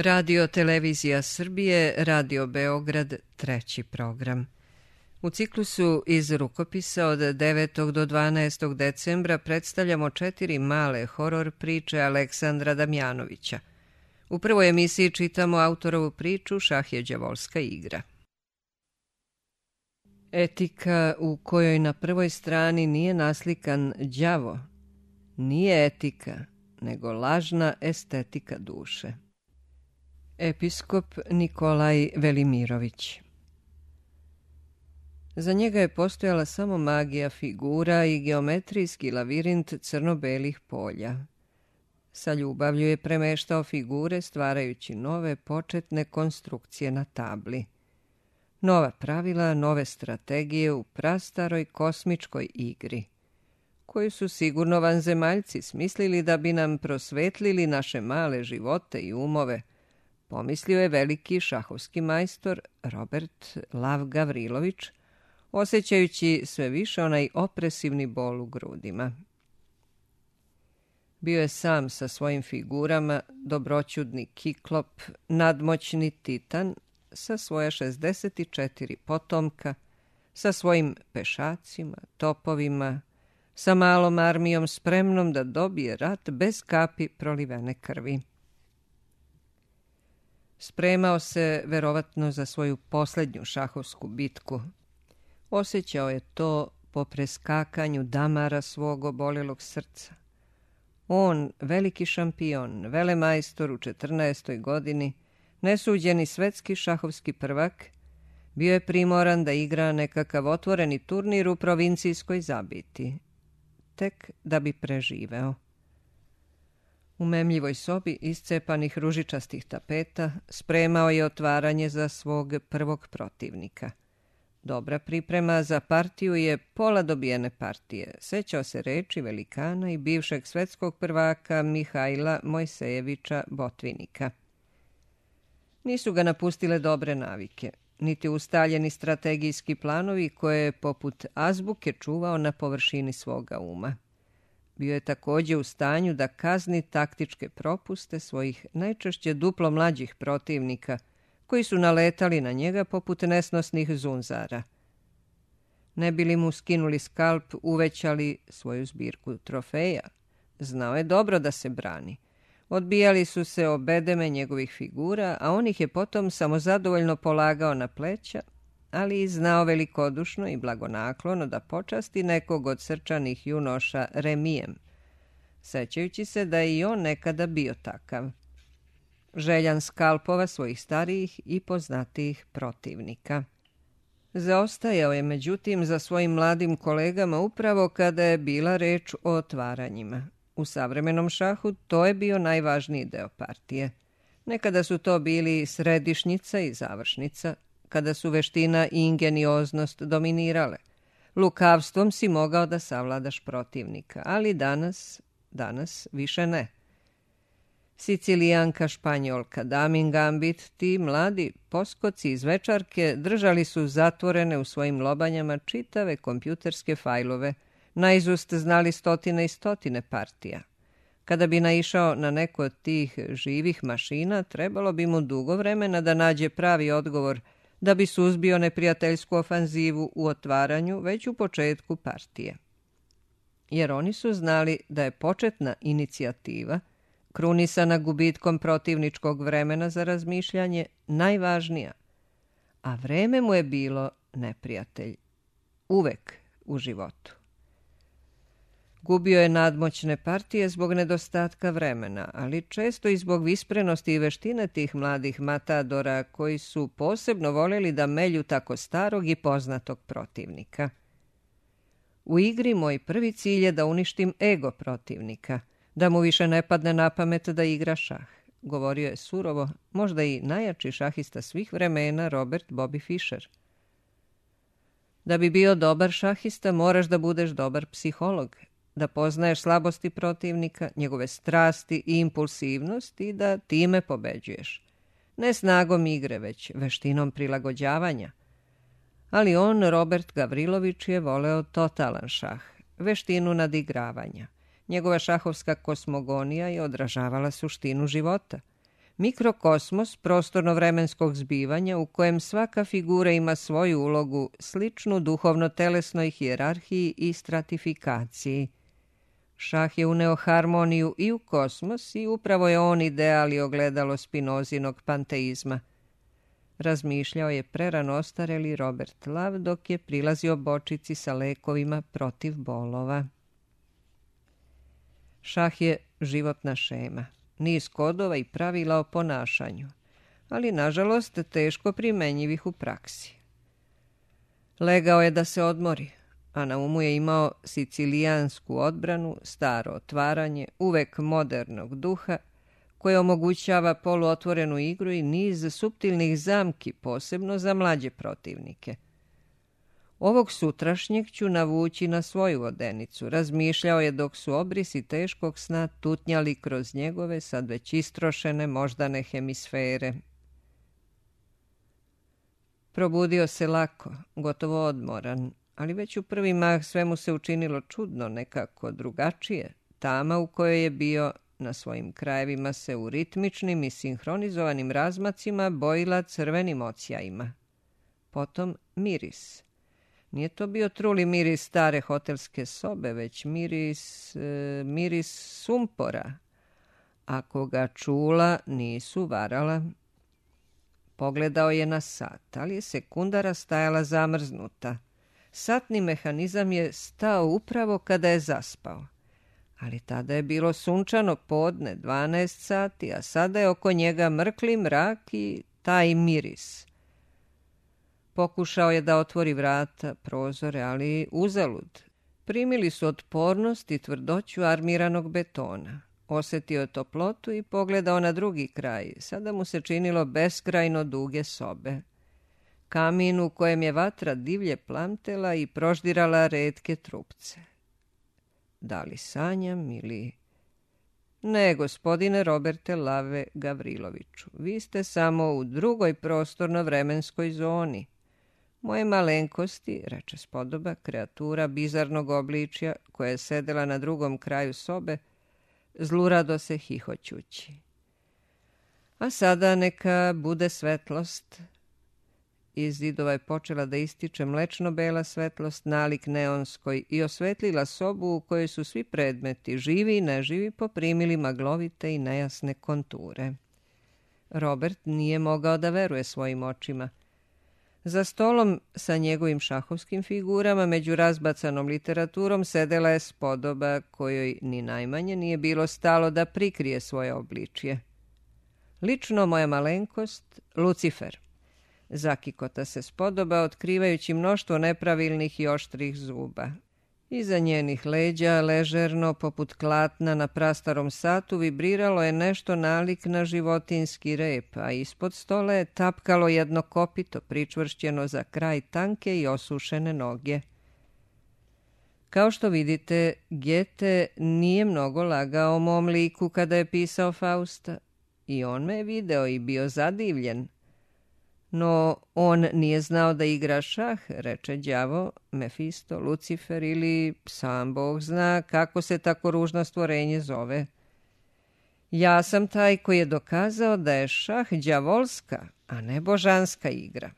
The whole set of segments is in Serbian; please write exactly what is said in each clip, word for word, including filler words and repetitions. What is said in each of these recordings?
Radio Televizija Srbije, Radio Beograd, treći program. U ciklusu iz rukopisa od devetog do dvanaestog decembra predstavljamo četiri male horor priče Aleksandra Damjanovića. U prvoj emisiji čitamo autorovu priču Šah je đavolska igra. Etika u kojoj na prvoj strani nije naslikan đavo, nije etika, nego lažna estetika duše. Episkop Nikolaj Velimirović. Za njega je postojala samo magija figura i geometrijski lavirint crno-belih polja. Sa ljubavlju je premeštao figure stvarajući nove početne konstrukcije na tabli. Nova pravila, nove strategije u prastaroj kosmičkoj igri, koju su sigurno vanzemaljci smislili da bi nam prosvetlili naše male živote i umove, pomislio je veliki šahovski majstor Robert Lav Gavrilović, osjećajući sve više onaj opresivni bol u grudima. Bio je sam sa svojim figurama, dobroćudni kiklop, nadmoćni titan, sa svoja šezdeset četiri potomka, sa svojim pešacima, topovima, sa malom armijom spremnom da dobije rat bez kapi prolivene krvi. Spremao se verovatno za svoju posljednju šahovsku bitku. Osjećao je to po preskakanju damara svog oboljelog srca. On, veliki šampion, velemajstor u četrnaestoj godini, nesuđeni svetski šahovski prvak, bio je primoran da igra nekakav otvoreni turnir u provincijskoj zabiti, tek da bi preživeo. U memljivoj sobi iscepanih ružičastih tapeta spremao je otvaranje za svog prvog protivnika. Dobra priprema za partiju je pola dobijene partije, sećao se reči velikana i bivšeg svetskog prvaka Mihajla Mojsejevića Botvinika. Nisu ga napustile dobre navike, niti ustaljeni strategijski planovi koje je poput azbuke čuvao na površini svoga uma. Bio je također u stanju da kazni taktičke propuste svojih najčešće duplo mlađih protivnika, koji su naletali na njega poput nesnosnih zunzara. Ne bi li mu skinuli skalp, uvećali svoju zbirku trofeja. Znao je dobro da se brani. Odbijali su se obedeme njegovih figura, a on ih je potom samozadovoljno polagao na pleća, ali i znao velikodušno i blagonaklono da počasti nekog od srčanih junoša remijem, sećajući se da je i on nekada bio takav. Željan skalpova svojih starijih i poznatijih protivnika. Zaostajao je međutim za svojim mladim kolegama upravo kada je bila reč o otvaranjima. U savremenom šahu to je bio najvažniji deo partije. Nekada su to bili središnjica i završnica, kada su veština i ingenioznost dominirale. Lukavstvom si mogao da savladaš protivnika, ali danas, danas više ne. Sicilijanka, Španjolka, Damin Gambit, ti mladi poskoci iz večarke držali su zatvorene u svojim lobanjama čitave kompjuterske fajlove, naizust znali stotine i stotine partija. Kada bi naišao na neku od tih živih mašina, trebalo bi mu dugo vremena da nađe pravi odgovor da bi suzbio neprijateljsku ofanzivu u otvaranju već u početku partije. Jer oni su znali da je početna inicijativa, krunisana gubitkom protivničkog vremena za razmišljanje, najvažnija, a vreme mu je bilo neprijatelj. Uvek u životu. Gubio je nadmoćne partije zbog nedostatka vremena, ali često i zbog visprenosti i veštine tih mladih matadora koji su posebno voljeli da melju tako starog i poznatog protivnika. U igri moj prvi cilj je da uništim ego protivnika, da mu više ne padne na pamet da igra šah, govorio je surovo, možda i najjači šahista svih vremena Robert Bobby Fischer. Da bi bio dobar šahista moraš da budeš dobar psiholog, da poznaješ slabosti protivnika, njegove strasti i impulsivnost i da time pobeđuješ. Ne snagom igre, već veštinom prilagođavanja. Ali on, Robert Gavrilović, je voleo totalan šah, veštinu nadigravanja. Njegova šahovska kosmogonija je odražavala suštinu života. Mikrokosmos prostorno-vremenskog zbivanja u kojem svaka figura ima svoju ulogu sličnu duhovno-telesnoj hijerarhiji i stratifikaciji. Šah je uneo harmoniju i u kosmos i upravo je on ideal i ogledalo Spinozinog panteizma. Razmišljao je prerano ostareli Robert Love dok je prilazio bočici sa lekovima protiv bolova. Šah je životna šema, niz kodova i pravila o ponašanju, ali nažalost teško primenjivih u praksi. Legao je da se odmori, a na umu je imao sicilijansku odbranu, staro otvaranje, uvek modernog duha, koje omogućava poluotvorenu igru i niz suptilnih zamki, posebno za mlađe protivnike. Ovog sutrašnjeg ću navući na svoju vodenicu, razmišljao je dok su obrisi teškog sna tutnjali kroz njegove sad već istrošene moždane hemisfere. Probudio se lako, gotovo odmoran, ali već u prvi mah sve mu se učinilo čudno, nekako drugačije. Tama u kojoj je bio na svojim krajevima se u ritmičnim i sinhronizovanim razmacima bojila crvenim ocijajima. Potom miris. Nije to bio truli miris stare hotelske sobe, već miris, e, miris sumpora. Ako ga čula, nisu varala. Pogledao je na sat, ali je sekundara stajala zamrznuta. Satni mehanizam je stao upravo kada je zaspao. Ali tada je bilo sunčano podne, dvanaest sati, a sada je oko njega mrkli mrak i taj miris. Pokušao je da otvori vrata, prozore, ali uzalud. Primili su otpornost i tvrdoću armiranog betona. Osjetio je toplotu i pogledao na drugi kraj. Sada mu se činilo beskrajno duge sobe. Kamin u kojem je vatra divlje plamtela i proždirala retke trupce. Da li sanjam ili... Ne, gospodine Roberte Lave Gavriloviću, vi ste samo u drugoj prostorno-vremenskoj zoni. Moje malenkosti, reče spodoba, kreatura bizarnog obličja koja je sedela na drugom kraju sobe, zlurado se hihoćući. A sada neka bude svetlost. Iz zidova je počela da ističe mlečno-bela svetlost, nalik neonskoj, i osvetlila sobu u kojoj su svi predmeti, živi i neživi, poprimili maglovite i nejasne konture. Robert nije mogao da veruje svojim očima. Za stolom sa njegovim šahovskim figurama, među razbacanom literaturom, sedela je spodoba kojoj ni najmanje nije bilo stalo da prikrije svoje obličje. Lično moja malenkost, Lucifer. Zakikota se spodoba, otkrivajući mnoštvo nepravilnih i oštrih zuba. Iza njenih leđa, ležerno, poput klatna na prastarom satu, vibriralo je nešto nalik na životinski rep, a ispod stola je tapkalo jedno kopito, pričvršćeno za kraj tanke i osušene noge. Kao što vidite, Gete nije mnogo lagao o mom liku kada je pisao Fausta. I on me je video i bio zadivljen. No, on nije znao da igra šah, reče đavo, Mefisto, Lucifer ili sam Bog zna kako se tako ružno stvorenje zove. Ja sam taj koji je dokazao da je šah đavolska, a ne božanska igra.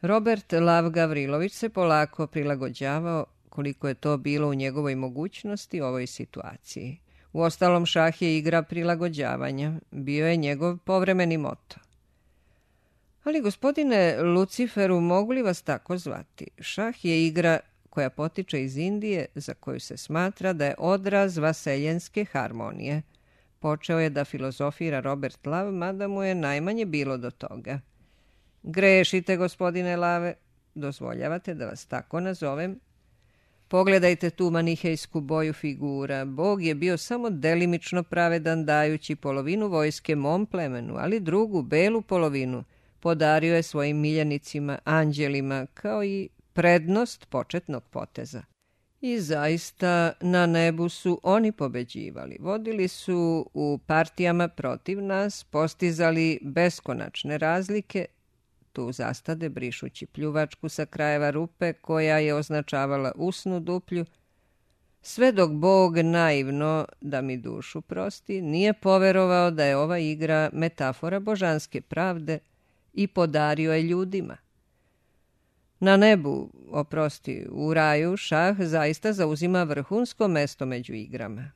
Robert Lav Gavrilović se polako prilagođavao, koliko je to bilo u njegovoj mogućnosti, ovoj situaciji. Uostalom, šah je igra prilagođavanja, bio je njegov povremeni moto. Ali, gospodine Luciferu, mogu li vas tako zvati? Šah je igra koja potiče iz Indije, za koju se smatra da je odraz vaseljenske harmonije. Počeo je da filozofira Robert Lav, mada mu je najmanje bilo do toga. Grešite, gospodine Lave, dozvoljavate da vas tako nazovem? Pogledajte tu manihejsku boju figura. Bog je bio samo delimično pravedan, dajući polovinu vojske mom plemenu, ali drugu, belu polovinu, podario je svojim miljenicima, anđelima, kao i prednost početnog poteza. I zaista na nebu su oni pobeđivali. Vodili su u partijama protiv nas, postizali beskonačne razlike, tu zastade brišući pljuvačku sa krajeva rupe koja je označavala usnu duplju, Sve dok Bog naivno, da mi dušu prosti, nije poverovao da je ova igra metafora božanske pravde i podario je ljudima. Na nebu, oprosti, u raju šah zaista zauzima vrhunsko mesto među igrama.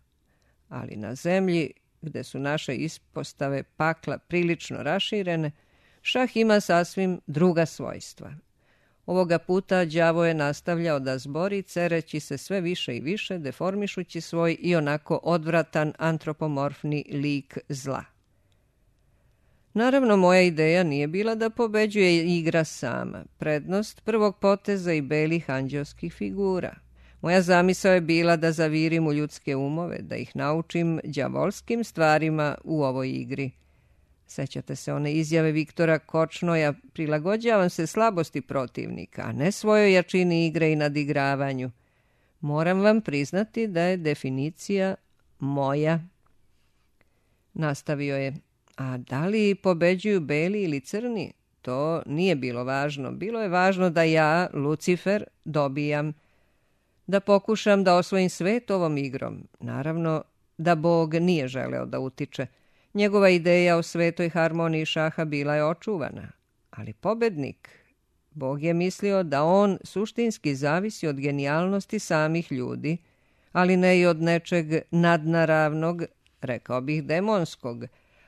Ali na zemlji, gde su naše ispostave pakla prilično raširene, šah ima sasvim druga svojstva. Ovoga puta đavo je nastavljao da zbori, cereći se sve više i više, deformišući svoj i onako odvratan antropomorfni lik zla. Naravno, moja ideja nije bila da pobeđuje igra sama, prednost prvog poteza i belih anđelskih figura. Moja zamisao je bila da zavirim u ljudske umove, da ih naučim đavolskim stvarima u ovoj igri. Sećate se one izjave Viktora Kočnoja, prilagođavam se slabosti protivnika, a ne svojoj jačini igre i nadigravanju. Moram vam priznati da je definicija moja. Nastavio je, a da li pobeđuju beli ili crni? To nije bilo važno. Bilo je važno da ja, Lucifer, dobijam, da pokušam da osvojim svet ovom igrom. Naravno da Bog nije želeo da utiče. Njegova ideja o svetoj harmoniji šaha bila je očuvana, ali pobednik, Bog je mislio da on suštinski zavisi od genijalnosti samih ljudi, ali ne i od nečeg nadnaravnog, rekao bih demonskog,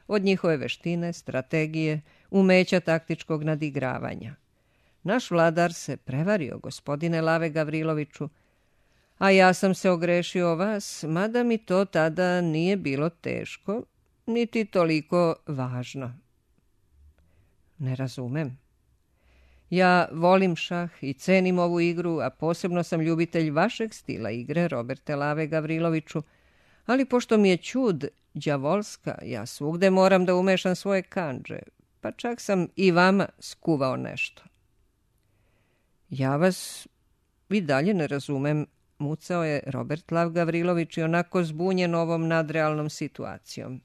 od njihove veštine, strategije, umeća taktičkog nadigravanja. Naš vladar se prevario, gospodine Lave Gavriloviću, a ja sam se ogrešio o vas, mada mi to tada nije bilo teško, niti toliko važno. Ne razumem. Ja volim šah i cenim ovu igru, a posebno sam ljubitelj vašeg stila igre, Roberte Lave Gavriloviću, ali pošto mi je ćud đavolska, ja svugde moram da umešam svoje kandže, pa čak sam i vama skuvao nešto. Ja vas i dalje ne razumem, mucao je Robert Lav Gavrilović i onako zbunjen ovom nadrealnom situacijom.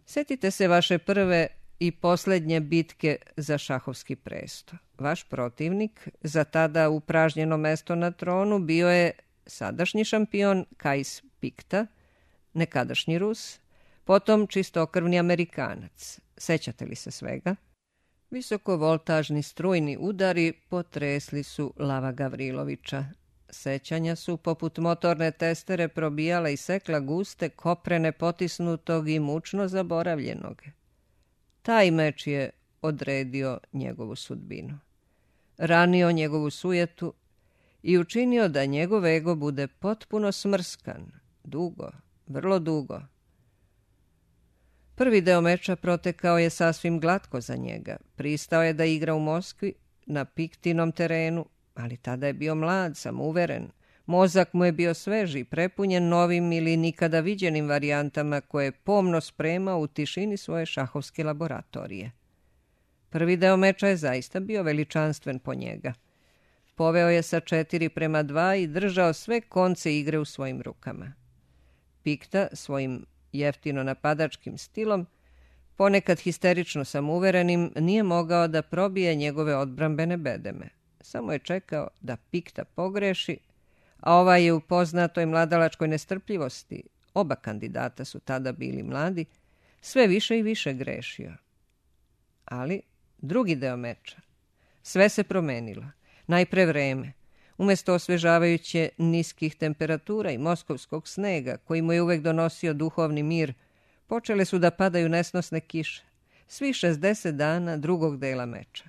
Setite se vaše prve i posljednje bitke za šahovski presto. Vaš protivnik, za tada upražnjeno mesto na tronu, bio je sadašnji šampion Kajs Pikta, nekadašnji Rus, potom čistokrvni Amerikanac. Sećate li se svega? Visokovoltažni strujni udari potresli su Lava Gavrilovića. Sećanja su, poput motorne testere, probijala i sekla guste koprene potisnutog i mučno zaboravljenog. Taj meč je odredio njegovu sudbinu. Ranio njegovu sujetu i učinio da njegov ego bude potpuno smrskan, dugo, vrlo dugo. Prvi deo meča protekao je sasvim glatko za njega. Pristao je da igra u Moskvi, na Piktinom terenu, ali tada je bio mlad, samouveren. Mozak mu je bio sveži, prepunjen novim ili nikada viđenim varijantama koje je pomno spremao u tišini svoje šahovske laboratorije. Prvi deo meča je zaista bio veličanstven po njega. Poveo je sa četiri prema dva i držao sve konce igre u svojim rukama. Pikta svojim jeftino napadačkim stilom, ponekad histerično samouverenim, nije mogao da probije njegove odbrambene bedeme. Samo je čekao da Pikta pogreši, a ovaj je u poznatoj mladalačkoj nestrpljivosti, oba kandidata su tada bili mladi, sve više i više grešio. Ali drugi deo meča. Sve se promenilo. Najpre vreme. Umjesto osvežavajuće niskih temperatura i moskovskog snega, koji mu je uvek donosio duhovni mir, počele su da padaju nesnosne kiše. Svi šezdeset dana drugog dela meča.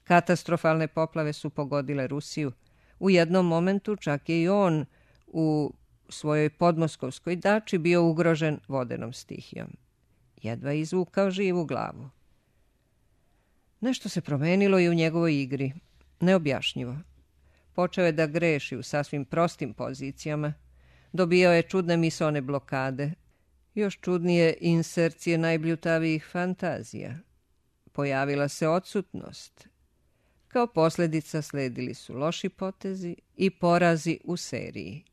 Katastrofalne poplave su pogodile Rusiju. U jednom momentu čak je i on u svojoj podmoskovskoj dači bio ugrožen vodenom stihijom. Jedva je izvukao živu glavu. Nešto se promenilo i u njegovoj igri. Neobjašnjivo. Počeo je da greši u sasvim prostim pozicijama. Dobijao je čudne misaone blokade. Još čudnije insercije najbljutavijih fantazija. Pojavila se odsutnost. Kao posljedica sledili su loši potezi i porazi u seriji.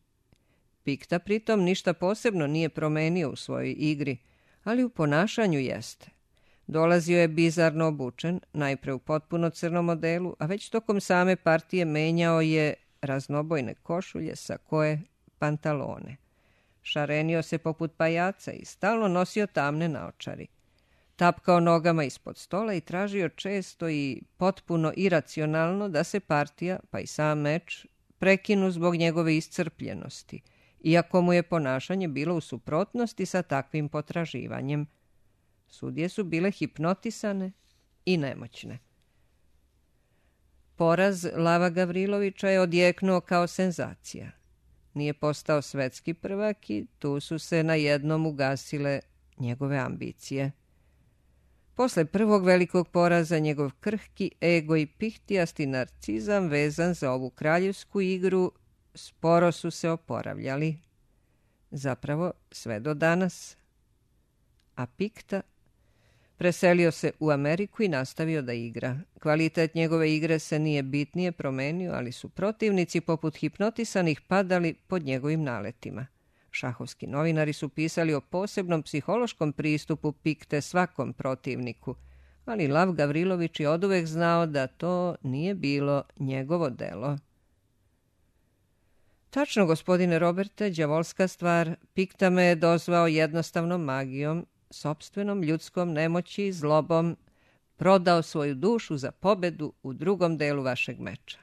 Pikta pritom ništa posebno nije promenio u svojoj igri, ali u ponašanju jeste. Dolazio je bizarno obučen, najpre u potpuno crnom modelu, a već tokom same partije menjao je raznobojne košulje, sakoe, pantalone. Šarenio se poput pajaca i stalno nosio tamne naočari. Tapkao nogama ispod stola i tražio često i potpuno iracionalno da se partija, pa i sam meč, prekinu zbog njegove iscrpljenosti, iako mu je ponašanje bilo u suprotnosti sa takvim potraživanjem. Sudije su bile hipnotisane i nemoćne. Poraz Lava Gavrilovića je odjeknuo kao senzacija. Nije postao svetski prvak i tu su se najednom ugasile njegove ambicije. Posle prvog velikog poraza njegov krhki ego i pihtijasti narcizam vezan za ovu kraljevsku igru sporo su se oporavljali. Zapravo sve do danas. A Pikta preselio se u Ameriku i nastavio da igra. Kvalitet njegove igre se nije bitnije promenio, ali su protivnici poput hipnotisanih padali pod njegovim naletima. Šahovski novinari su pisali o posebnom psihološkom pristupu Pikte svakom protivniku, ali Lav Gavrilović je oduvek znao da to nije bilo njegovo delo. Tačno, gospodine Roberte, đavolska stvar, Pikta me je dozvao jednostavnom magijom, sopstvenom ljudskom nemoći i zlobom, prodao svoju dušu za pobedu u drugom delu vašeg meča.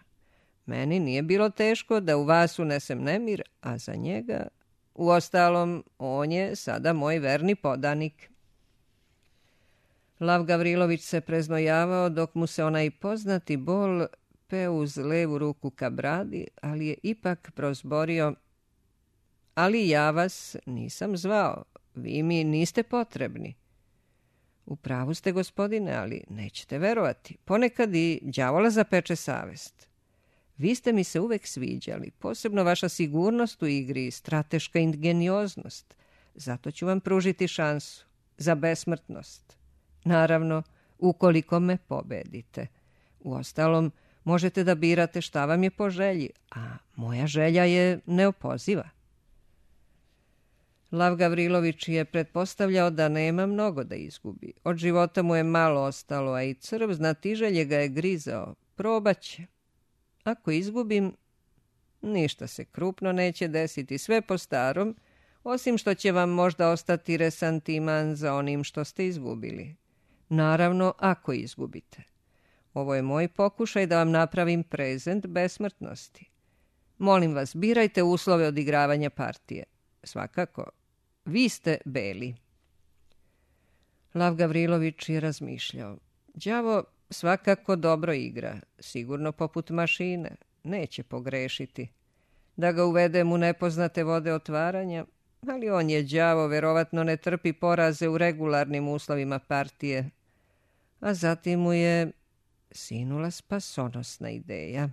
Meni nije bilo teško da u vas unesem nemir, a za njega, uostalom, on je sada moj verni podanik. Lav Gavrilović se preznojavao dok mu se onaj poznati bol peo uz levu ruku ka bradi, ali je ipak prozborio: ali ja vas nisam zvao, vi mi niste potrebni. U pravu ste, gospodine, ali nećete verovati. Ponekad i đavola zapeče savest. Vi ste mi se uvek sviđali, posebno vaša sigurnost u igri i strateška ingenioznost. Zato ću vam pružiti šansu za besmrtnost. Naravno, ukoliko me pobedite. Uostalom, možete da birate šta vam je po želji, a moja želja je neopoziva. Lav Gavrilović je pretpostavljao da nema mnogo da izgubi. Od života mu je malo ostalo, a i crv znatiželje ga je grizao. Probaće. Ako izgubim, ništa se krupno neće desiti, sve po starom, osim što će vam možda ostati resantiman za onim što ste izgubili. Naravno, ako izgubite. Ovo je moj pokušaj da vam napravim prezent besmrtnosti. Molim vas, birajte uslove odigravanja partije. Svakako, vi ste beli. Lav Gavrilović je razmišljao. Đavo svakako dobro igra, sigurno poput mašine, neće pogrešiti. Da ga uvedem u nepoznate vode otvaranja, ali on je đavo, verovatno ne trpi poraze u regularnim uslovima partije. A zatim mu je sinula spasonosna ideja.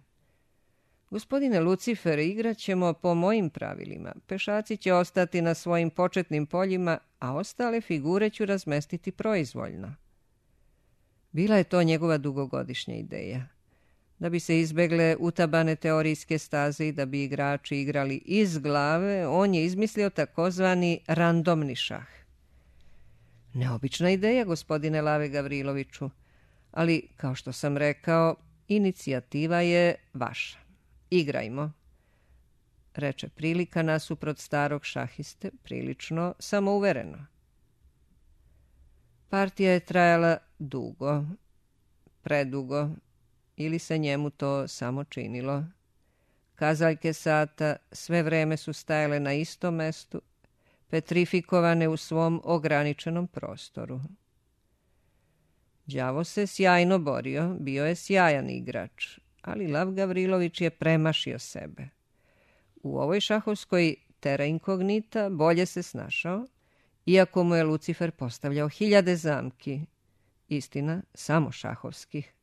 Gospodine Lucifer, igrat ćemo po mojim pravilima. Pešaci će ostati na svojim početnim poljima, a ostale figure ću razmestiti proizvoljno. Bila je to njegova dugogodišnja ideja. Da bi se izbegle utabane teorijske staze i da bi igrači igrali iz glave, on je izmislio takozvani randomni šah. Neobična ideja, gospodine Lave Gavriloviću, ali, kao što sam rekao, inicijativa je vaša. Igrajmo, reče prilika nasuprot starog šahiste, prilično samouvereno. Partija je trajala dugo, predugo, ili se njemu to samo činilo. Kazaljke sata sve vreme su stajale na istom mestu, petrifikovane u svom ograničenom prostoru. Đavo se sjajno borio, bio je sjajan igrač, ali Lav Gavrilović je premašio sebe. U ovoj šahovskoj terra incognita bolje se snašao, iako mu je Lucifer postavljao hiljade zamki, istina, samo šahovskih.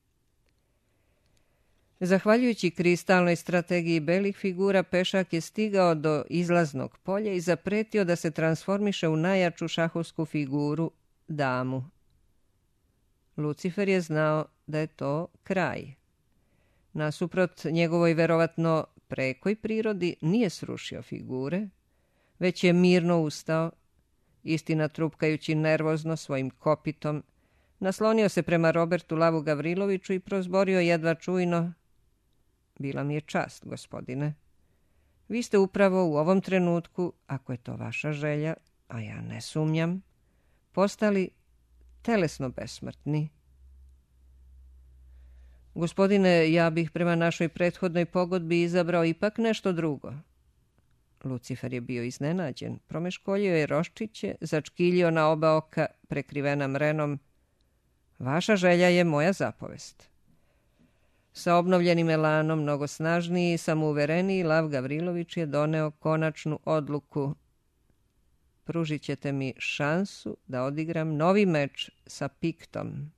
Zahvaljujući kristalnoj strategiji belih figura, pešak je stigao do izlaznog polja i zapretio da se transformiše u najjaču šahovsku figuru, damu. Lucifer je znao da je to kraj. Nasuprot njegovoj verovatno prekoj prirodi nije srušio figure, već je mirno ustao, istina trupkajući nervozno svojim kopitom, naslonio se prema Robertu Lavu Gavriloviću i prozborio jedva čujno: bila mi je čast, gospodine. Vi ste upravo u ovom trenutku, ako je to vaša želja, a ja ne sumnjam, postali telesno besmrtni. Gospodine, ja bih prema našoj prethodnoj pogodbi izabrao ipak nešto drugo. Lucifer je bio iznenađen, promeškoljio je roščiće, začkiljio na oba oka, prekrivena mrenom. Vaša želja je moja zapovest. Sa obnovljenim elanom, mnogo snažniji i samouvereniji, Lav Gavrilović je doneo konačnu odluku. Pružit ćete mi šansu da odigram novi meč sa Piktom.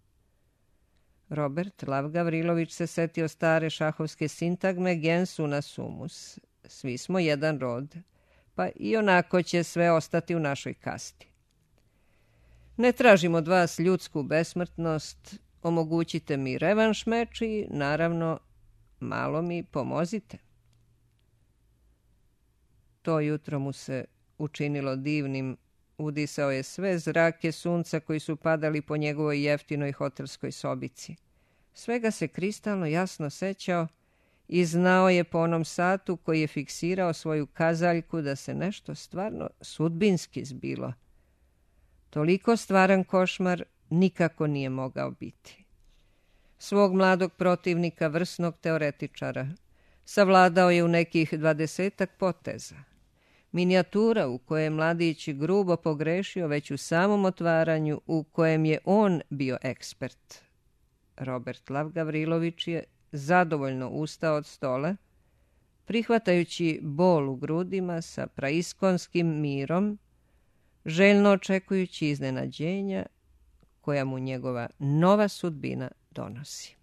Robert Lav Gavrilović se setio stare šahovske sintagme gens una sumus. Svi smo jedan rod, pa i onako će sve ostati u našoj kasti. Ne tražim od vas ljudsku besmrtnost, omogućite mi revanš meč i, naravno, malo mi pomozite. To jutro mu se učinilo divnim, udisao je sve zrake sunca koji su padali po njegovoj jeftinoj hotelskoj sobici. Svega se kristalno jasno sećao i znao je po onom satu koji je fiksirao svoju kazaljku da se nešto stvarno sudbinski zbilo. Toliko stvaran košmar nikako nije mogao biti. Svog mladog protivnika, vrsnog teoretičara, savladao je u nekih dvadesetak poteza. Minijatura u kojoj je mladić grubo pogrešio već u samom otvaranju, u kojem je on bio ekspert. Robert Lav Gavrilović je zadovoljno ustao od stola, prihvatajući bol u grudima sa praiskonskim mirom, željno očekujući iznenađenja koja mu njegova nova sudbina donosi.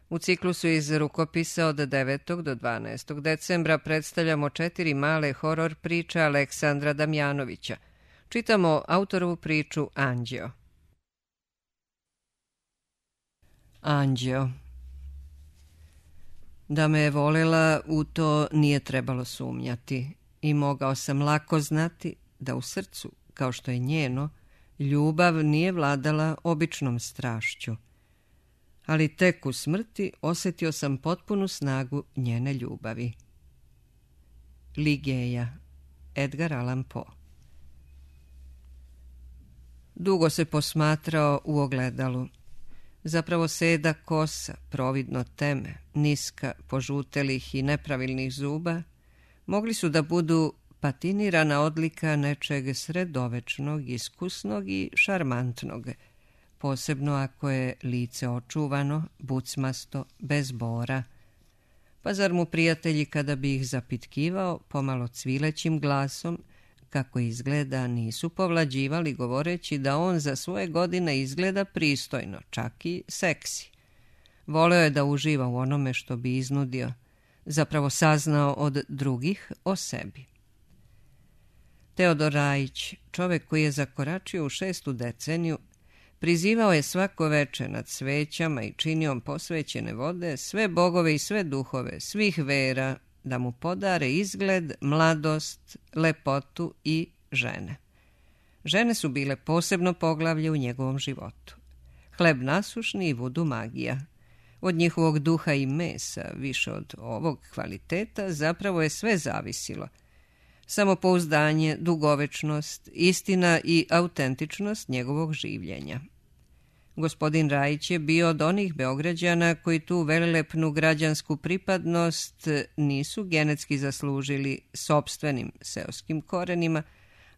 U ciklusu iz rukopisa od devetog do dvanaestog decembra predstavljamo četiri male horor priče Aleksandra Damjanovića. Čitamo autorovu priču Anđeo. Anđeo. Da me je volela, u to nije trebalo sumnjati i mogao sam lako znati da u srcu, kao što je njeno, ljubav nije vladala običnom strašću. Ali tek u smrti osjetio sam potpunu snagu njene ljubavi. Ligeja, Edgar Allan Poe. Dugo se posmatrao u ogledalu. Zapravo seda kosa, providno teme, niska, požutelih i nepravilnih zuba, mogli su da budu patinirana odlika nečeg sredovečnog, iskusnog i šarmantnog, posebno ako je lice očuvano, bucmasto, bez bora. Pa zar mu prijatelji, kada bi ih zapitkivao pomalo cvilećim glasom, kako izgleda, nisu povlađivali govoreći da on za svoje godine izgleda pristojno, čak i seksi. Voleo je da uživa u onome što bi iznudio, zapravo saznao od drugih o sebi. Teodor Rajić, čovek koji je zakoračio u šestu deceniju, prizivao je svako veče nad svećama i činijom posvećene vode sve bogove i sve duhove, svih vera, da mu podare izgled, mladost, lepotu i žene. Žene su bile posebno poglavlje u njegovom životu. Hleb nasušni i vudu magija. Od njihovog duha i mesa, više od ovog kvaliteta, zapravo je sve zavisilo. Samopouzdanje, dugovečnost, istina i autentičnost njegovog življenja. Gospodin Rajić je bio od onih Beograđana koji tu velelepnu građansku pripadnost nisu genetski zaslužili sopstvenim seoskim korenima,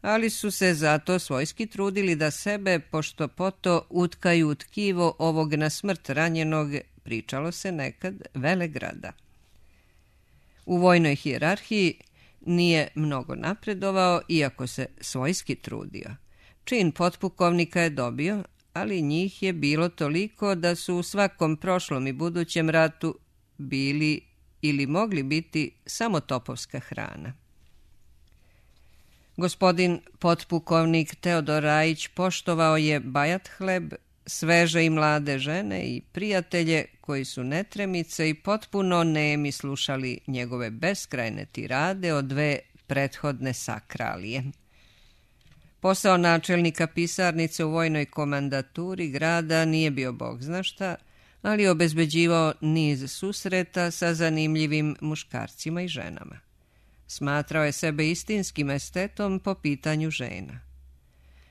ali su se zato svojski trudili da sebe pošto poto utkaju u tkivo ovog na smrt ranjenog, pričalo se nekad, Velegrada. U vojnoj hijerarhiji nije mnogo napredovao, iako se svojski trudio. Čin potpukovnika je dobio, ali njih je bilo toliko da su u svakom prošlom i budućem ratu bili ili mogli biti samo topovska hrana. Gospodin potpukovnik Teodor Rajić poštovao je bajat hleb, sveže i mlade žene i prijatelje koji su netremice i potpuno nemi slušali njegove beskrajne tirade o dve prethodne sakralije. Posao načelnika pisarnice u vojnoj komandaturi grada nije bio bog zna šta, ali obezbeđivao niz susreta sa zanimljivim muškarcima i ženama. Smatrao je sebe istinskim estetom po pitanju žena.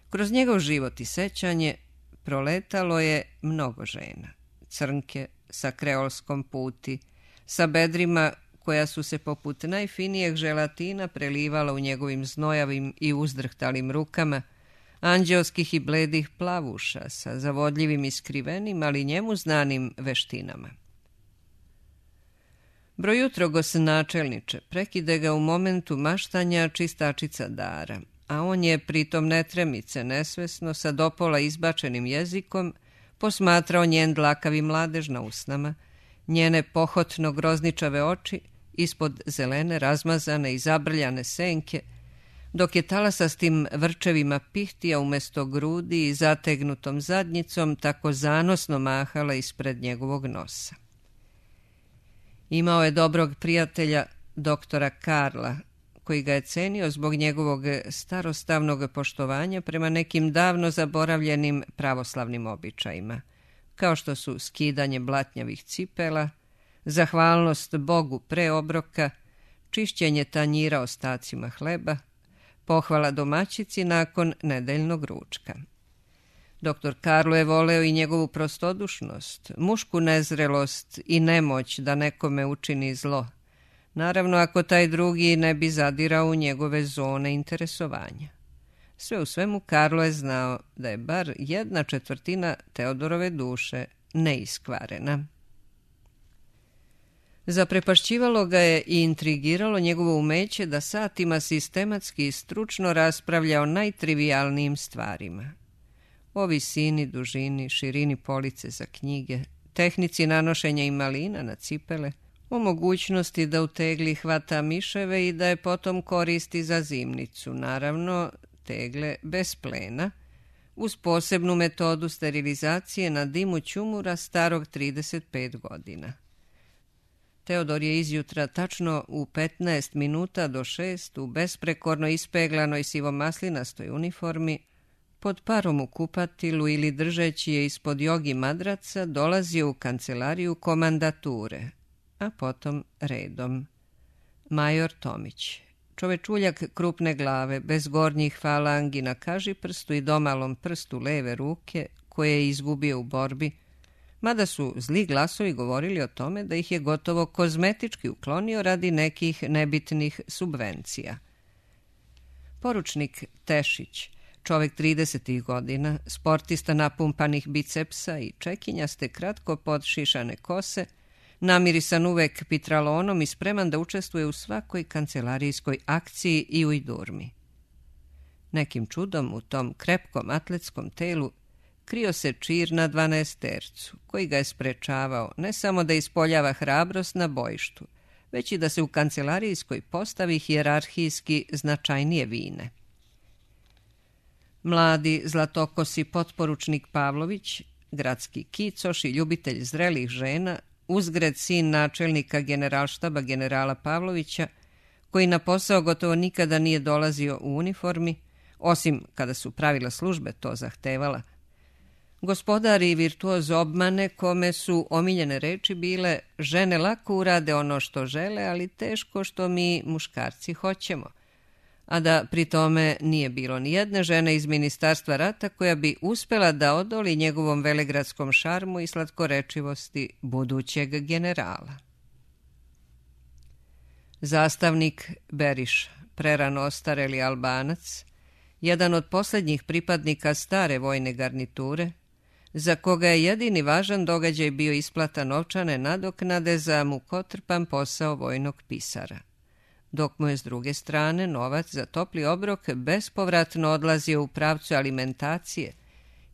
Kroz njegov život i sećanje proletalo je mnogo žena. Crnke sa kreolskom puti, sa bedrima koja su se poput najfinijeg želatina prelivala u njegovim znojavim i uzdrhtalim rukama, anđeoskih i bledih plavuša sa zavodljivim i skrivenim, ali njemu znanim veštinama. Brojutro načelniče prekide ga u momentu maštanja čistačica Dara, a on je pritom netremice, nesvesno, sa dopola izbačenim jezikom, posmatrao njen dlakavi mladež na usnama, njene pohotno grozničave oči ispod zelene, razmazane i zabrljane senke, dok je talasastim vrčevima pihtija umjesto grudi i zategnutom zadnjicom tako zanosno mahala ispred njegovog nosa. Imao je dobrog prijatelja, doktora Karla, koji ga je cenio zbog njegovog starostavnog poštovanja prema nekim davno zaboravljenim pravoslavnim običajima, kao što su skidanje blatnjavih cipela, zahvalnost Bogu pre obroka, čišćenje tanjira ostacima hleba, pohvala domaćici nakon nedeljnog ručka. Doktor Karlo je voleo i njegovu prostodušnost, mušku nezrelost i nemoć da nekome učini zlo, naravno ako taj drugi ne bi zadirao u njegove zone interesovanja. Sve u svemu Karlo je znao da je bar jedna četvrtina Teodorove duše neiskvarena. Zaprepašćivalo ga je i intrigiralo njegovo umeće da satima sistematski i stručno raspravlja o najtrivijalnijim stvarima. O visini, dužini, širini police za knjige, tehnici nanošenja imalina na cipele, o mogućnosti da u tegli hvata miševe i da je potom koristi za zimnicu, naravno tegle bez plena, uz posebnu metodu sterilizacije na dimu ćumura starog trideset pet godina. Teodor je izjutra tačno u petnaest minuta do šest u besprekorno ispeglanoj sivomaslinastoj uniformi, pod parom u kupatilu ili držeći je ispod jogi madraca, dolazio u kancelariju komandature, a potom redom. Major Tomić, čovečuljak krupne glave, bez gornjih falangi na kažiprstu i domalom prstu leve ruke, koje je izgubio u borbi, mada su zli glasovi govorili o tome da ih je gotovo kozmetički uklonio radi nekih nebitnih subvencija. Poručnik Tešić, čovek tridesetih godina, sportista napumpanih bicepsa i čekinjaste kratko podšišane kose, namirisan uvek pitralonom i spreman da učestvuje u svakoj kancelarijskoj akciji i u idurmi. Nekim čudom u tom krepkom atletskom telu krio se čir na dvanaestercu, koji ga je sprečavao ne samo da ispoljava hrabrost na bojištu, već i da se u kancelarijskoj postavi hijerarhijski značajnije vine. Mladi zlatokosi potporučnik Pavlović, gradski kicoš i ljubitelj zrelih žena, uzgred sin načelnika generalštaba generala Pavlovića, koji na posao gotovo nikada nije dolazio u uniformi, osim kada su pravila službe to zahtevala. Gospodar i virtuoz obmane, kome su omiljene reči bile: žene lako urade ono što žele, ali teško što mi muškarci hoćemo, a da pri tome nije bilo ni jedne žene iz Ministarstva rata koja bi uspela da odoli njegovom velegradskom šarmu i slatkorečivosti budućeg generala. Zastavnik Beriša, prerano ostareli Albanac, jedan od posljednjih pripadnika stare vojne garniture, za koga je jedini važan događaj bio isplata novčane nadoknade za mukotrpan posao vojnog pisara, dok mu je s druge strane novac za topli obrok bespovratno odlazio u pravcu alimentacije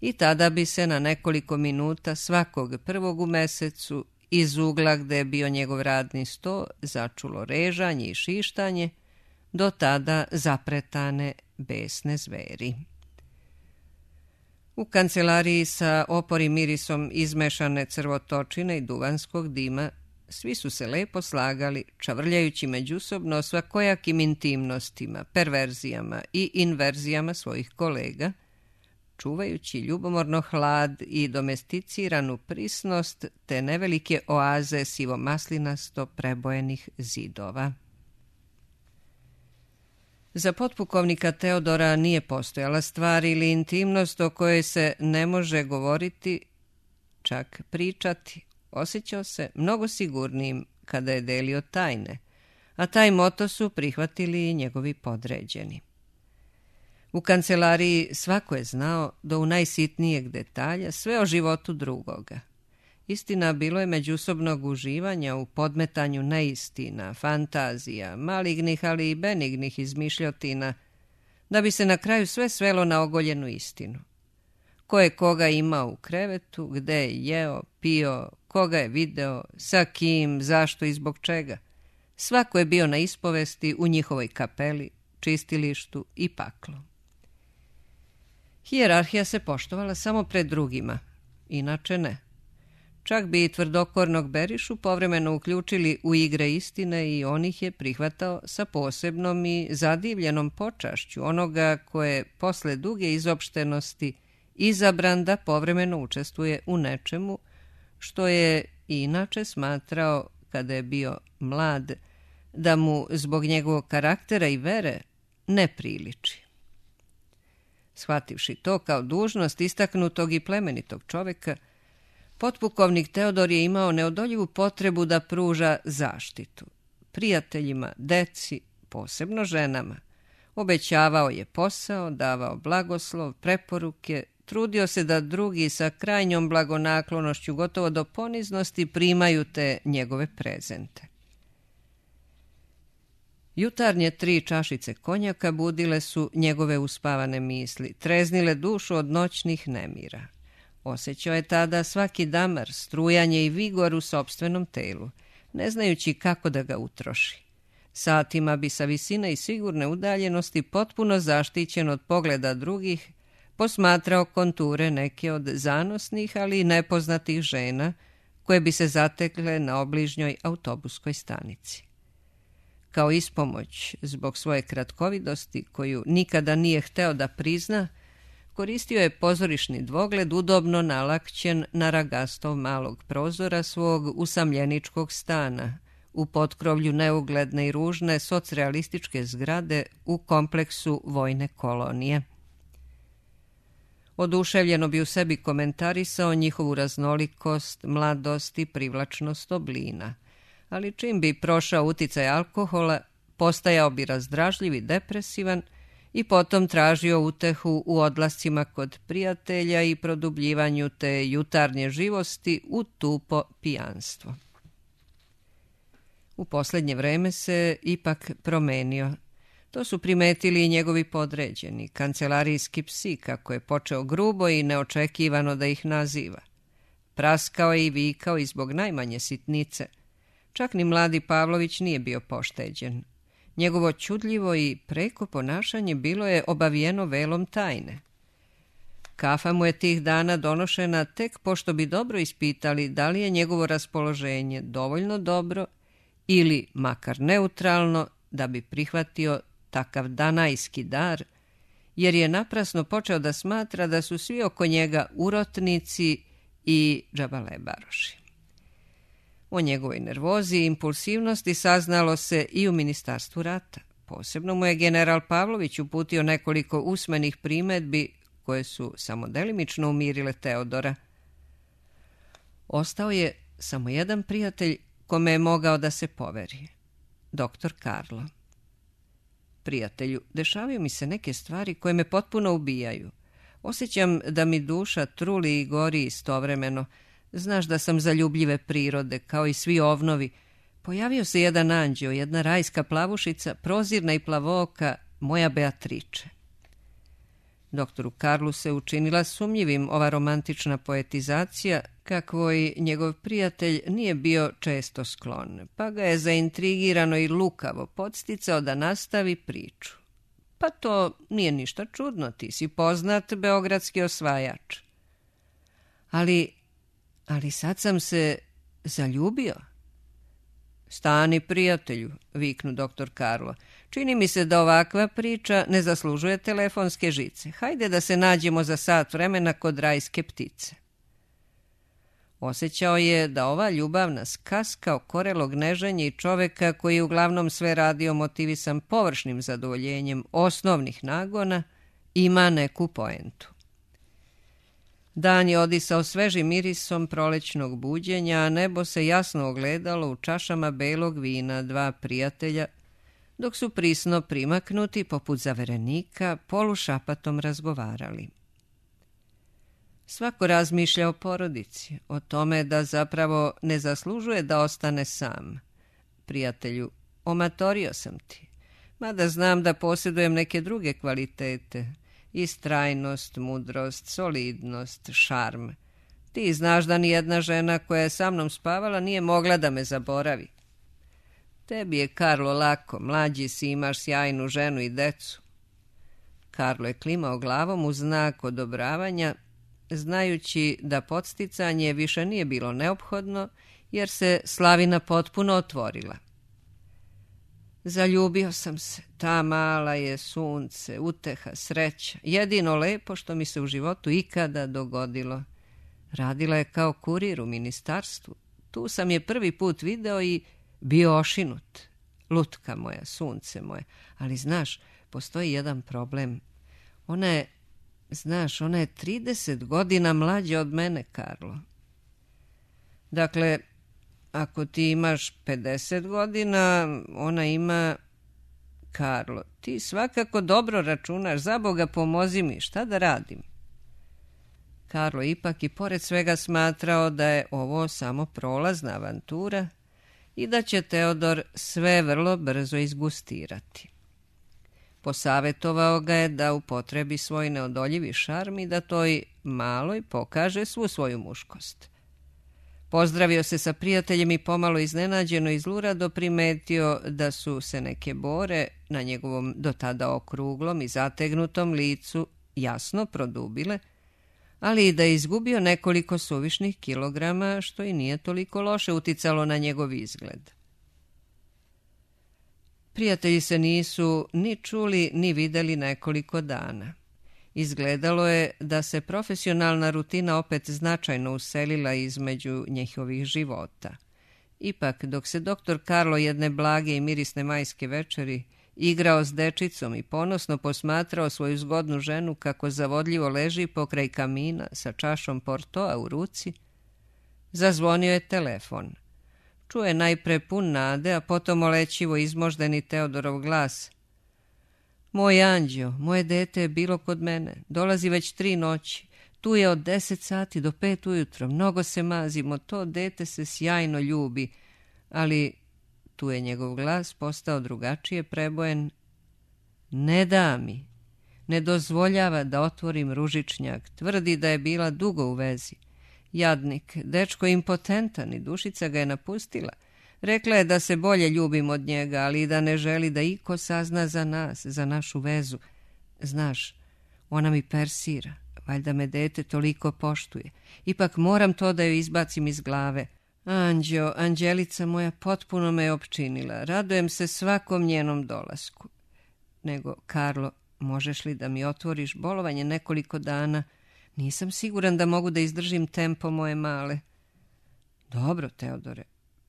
i tada bi se na nekoliko minuta svakog prvog u mesecu iz ugla gde je bio njegov radni sto začulo režanje i šištanje, do tada zapretane besne zveri. U kancelariji sa oporim mirisom izmešane crvotočine i duvanskog dima svi su se lepo slagali, čavrljajući međusobno svakojakim intimnostima, perverzijama i inverzijama svojih kolega, čuvajući ljubomorno hlad i domesticiranu prisnost te nevelike oaze sivomaslinasto prebojenih zidova. Za potpukovnika Teodora nije postojala stvar ili intimnost o kojoj se ne može govoriti, čak pričati. Osjećao se mnogo sigurnijim kada je delio tajne, a taj moto su prihvatili i njegovi podređeni. U kancelariji svako je znao do u najsitnijeg detalja sve o životu drugoga. Istina, bilo je međusobnog uživanja u podmetanju neistina, fantazija, malignih ali i benignih izmišljotina, da bi se na kraju sve svelo na ogoljenu istinu. Ko je koga imao u krevetu, gde je jeo, pio, koga je video, sa kim, zašto i zbog čega. Svako je bio na ispovesti u njihovoj kapeli, čistilištu i paklu. Hijerarhija se poštovala samo pred drugima, inače ne. Čak bi i tvrdokornog Berišu povremeno uključili u igre istine i on ih je prihvatao sa posebnom i zadivljenom počašću onoga koje posle duge izopštenosti izabran da povremeno učestvuje u nečemu što je inače smatrao, kada je bio mlad, da mu zbog njegovog karaktera i vere ne priliči. Shvativši to kao dužnost istaknutog i plemenitog čoveka, potpukovnik Teodor je imao neodoljivu potrebu da pruža zaštitu prijateljima, deci, posebno ženama. Obećavao je posao, davao blagoslov, preporuke, trudio se da drugi sa krajnjom blagonaklonošću gotovo do poniznosti primaju te njegove prezente. Jutarnje tri čašice konjaka budile su njegove uspavane misli, treznile dušu od noćnih nemira. Osjećao je tada svaki damar, strujanje i vigor u sopstvenom telu, ne znajući kako da ga utroši. Satima bi sa visine i sigurne udaljenosti, potpuno zaštićen od pogleda drugih, posmatrao konture neke od zanosnih, ali i nepoznatih žena, koje bi se zatekle na obližnjoj autobuskoj stanici. Kao ispomoć zbog svoje kratkovidosti, koju nikada nije hteo da prizna, koristio je pozorišni dvogled udobno nalakćen na ragastov malog prozora svog usamljeničkog stana, u potkrovlju neugledne i ružne socrealističke zgrade u kompleksu vojne kolonije. Oduševljeno bi u sebi komentarisao njihovu raznolikost, mladost i privlačnost oblina, ali čim bi prošao uticaj alkohola, postajao bi razdražljiv i depresivan i potom tražio utehu u odlascima kod prijatelja i produbljivanju te jutarnje živosti u tupo pijanstvo. U posljednje vreme se ipak promenio. To su primetili i njegovi podređeni, kancelarijski psi, kako je počeo grubo i neočekivano da ih naziva. Praskao je i vikao i zbog najmanje sitnice. Čak ni mladi Pavlović nije bio pošteđen. Njegovo čudljivo i preko ponašanje bilo je obavijeno velom tajne. Kafa mu je tih dana donošena tek pošto bi dobro ispitali da li je njegovo raspoloženje dovoljno dobro ili makar neutralno da bi prihvatio takav danajski dar, jer je naprasno počeo da smatra da su svi oko njega urotnici i džabalebaroši. O njegovoj nervozi i impulsivnosti saznalo se i u ministarstvu rata. Posebno mu je general Pavlović uputio nekoliko usmenih primedbi koje su samo delimično umirile Teodora. Ostao je samo jedan prijatelj kome je mogao da se poveri, doktor Karlo. Prijatelju, dešavaju mi se neke stvari koje me potpuno ubijaju. Osjećam da mi duša truli i gori istovremeno. Znaš da sam zaljubljive prirode, kao i svi ovnovi. Pojavio se jedan anđeo, jedna rajska plavušica, prozirna i plavooka, moja Beatriče. Doktoru Karlu se učinila sumnjivim ova romantična poetizacija, kakvoj njegov prijatelj nije bio često sklon, pa ga je zaintrigirano i lukavo podsticao da nastavi priču. Pa to nije ništa čudno, ti si poznat beogradski osvajač. Ali, ali sad sam se zaljubio. Stani, prijatelju, viknu doktor Karlo. Čini mi se da ovakva priča ne zaslužuje telefonske žice. Hajde da se nađemo za sat vremena kod rajske ptice. Osjećao je da ova ljubavna skaska okorelog neženja i čoveka koji je uglavnom sve radio motivisan površnim zadovoljenjem osnovnih nagona ima neku poentu. Dan je odisao svežim mirisom prolećnog buđenja, a nebo se jasno ogledalo u čašama belog vina dva prijatelja, dok su prisno primaknuti poput zaverenika polušapatom razgovarali. Svako razmišlja o porodici, o tome da zapravo ne zaslužuje da ostane sam. Prijatelju, omatorio sam ti, mada znam da posjedujem neke druge kvalitete, istrajnost, mudrost, solidnost, šarm. Ti znaš da nijedna žena koja je sa mnom spavala nije mogla da me zaboravi. Tebi je, Karlo, lako, mlađi si, imaš sjajnu ženu i decu. Karlo je klimao glavom u znak odobravanja, znajući da podsticanje više nije bilo neophodno, jer se slavina potpuno otvorila. Zaljubio sam se, ta mala je sunce, uteha, sreća, jedino lepo što mi se u životu ikada dogodilo. Radila je kao kurir u ministarstvu, tu sam je prvi put video i bio ošinut. Lutka moja, sunce moje, ali znaš, postoji jedan problem. Ona je, znaš, ona je trideset godina mlađa od mene, Karlo. Dakle, ako ti imaš pedeset godina, ona ima... Karlo, ti svakako dobro računaš, za Boga pomozi mi, šta da radim? Karlo ipak i pored svega smatrao da je ovo samo prolazna avantura i da će Teodor sve vrlo brzo izgustirati. Posavjetovao ga je da upotrebi svoj neodoljivi šarm i da toj maloj pokaže svu svoju muškost. Pozdravio se sa prijateljem i pomalo iznenađeno i zlurado primetio da su se neke bore na njegovom do tada okruglom i zategnutom licu jasno produbile, ali i da je izgubio nekoliko suvišnih kilograma, što i nije toliko loše uticalo na njegov izgled. Prijatelji se nisu ni čuli ni videli nekoliko dana. Izgledalo je da se profesionalna rutina opet značajno uselila između njihovih života. Ipak, dok se doktor Karlo jedne blage i mirisne majske večeri igrao s dečicom i ponosno posmatrao svoju zgodnu ženu kako zavodljivo leži pokraj kamina sa čašom portoa u ruci, zazvonio je telefon. Čuje najpre pun nade, a potom olećivo izmoždeni Teodorov glas. Moj anđeo, moje dete je bilo kod mene, dolazi već tri noći, tu je od deset sati do pet ujutro, mnogo se mazimo, to dete se sjajno ljubi, ali tu je njegov glas postao drugačije prebojen. Ne da mi, ne dozvoljava da otvorim ružičnjak, tvrdi da je bila dugo u vezi. Jadnik, dečko impotentan i dušica ga je napustila. Rekla je da se bolje ljubim od njega, ali i da ne želi da iko sazna za nas, za našu vezu. Znaš, ona mi persira, valjda me dete toliko poštuje. Ipak moram to da joj izbacim iz glave. Anđeo, anđelica moja potpuno me je opčinila. Radujem se svakom njenom dolasku. Nego, Karlo, možeš li da mi otvoriš bolovanje nekoliko dana? Nisam siguran da mogu da izdržim tempo moje male. Dobro, Teodore.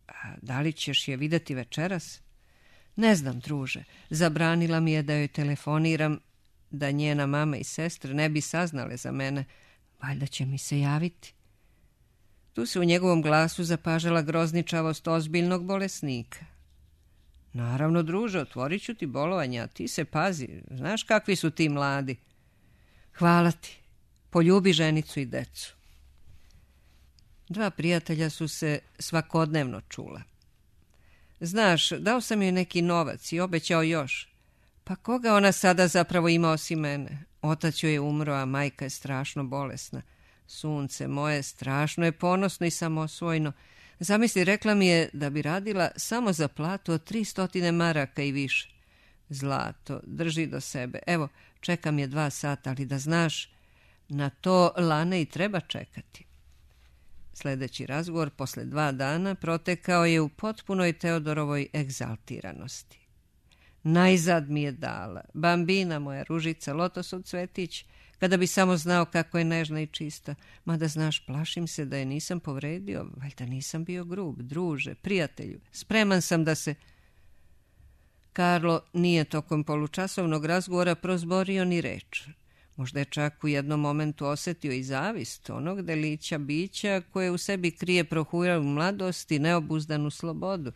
A da li ćeš je videti večeras? Ne znam, druže. Zabranila mi je da joj telefoniram, da njena mama i sestre ne bi saznale za mene. Valjda će mi se javiti. Tu se u njegovom glasu zapažala grozničavost ozbiljnog bolesnika. Naravno, druže, otvorit ću ti bolovanja, a ti se pazi. Znaš kakvi su ti mladi. Hvala ti. Poljubi ženicu i decu. Dva prijatelja su se svakodnevno čula. Znaš, dao sam joj neki novac i obećao još. Pa koga ona sada zapravo ima osim mene? Otac joj je umro, a majka je strašno bolesna. Sunce moje, strašno je ponosno i samosvojno. Zamisli, rekla mi je da bi radila samo za platu od tri stotine maraka i više. Zlato, drži do sebe. Evo, čekam je dva sata, ali da znaš, na to Lane i treba čekati. Sljedeći razgovor posle dva dana protekao je u potpunoj Teodorovoj egzaltiranosti. Najzad mi je dala. Bambina moja, ružica, lotosov cvetić, kada bi samo znao kako je nežna i čista. Mada znaš, plašim se da je nisam povredio, valjda nisam bio grub. Druže, prijatelju, spreman sam da se... Karlo nije tokom polučasovnog razgovora prozborio ni reč. Možda je čak u jednom momentu osjetio i zavist onog delića bića koje u sebi krije prohuralu mladost i neobuzdanu slobodu,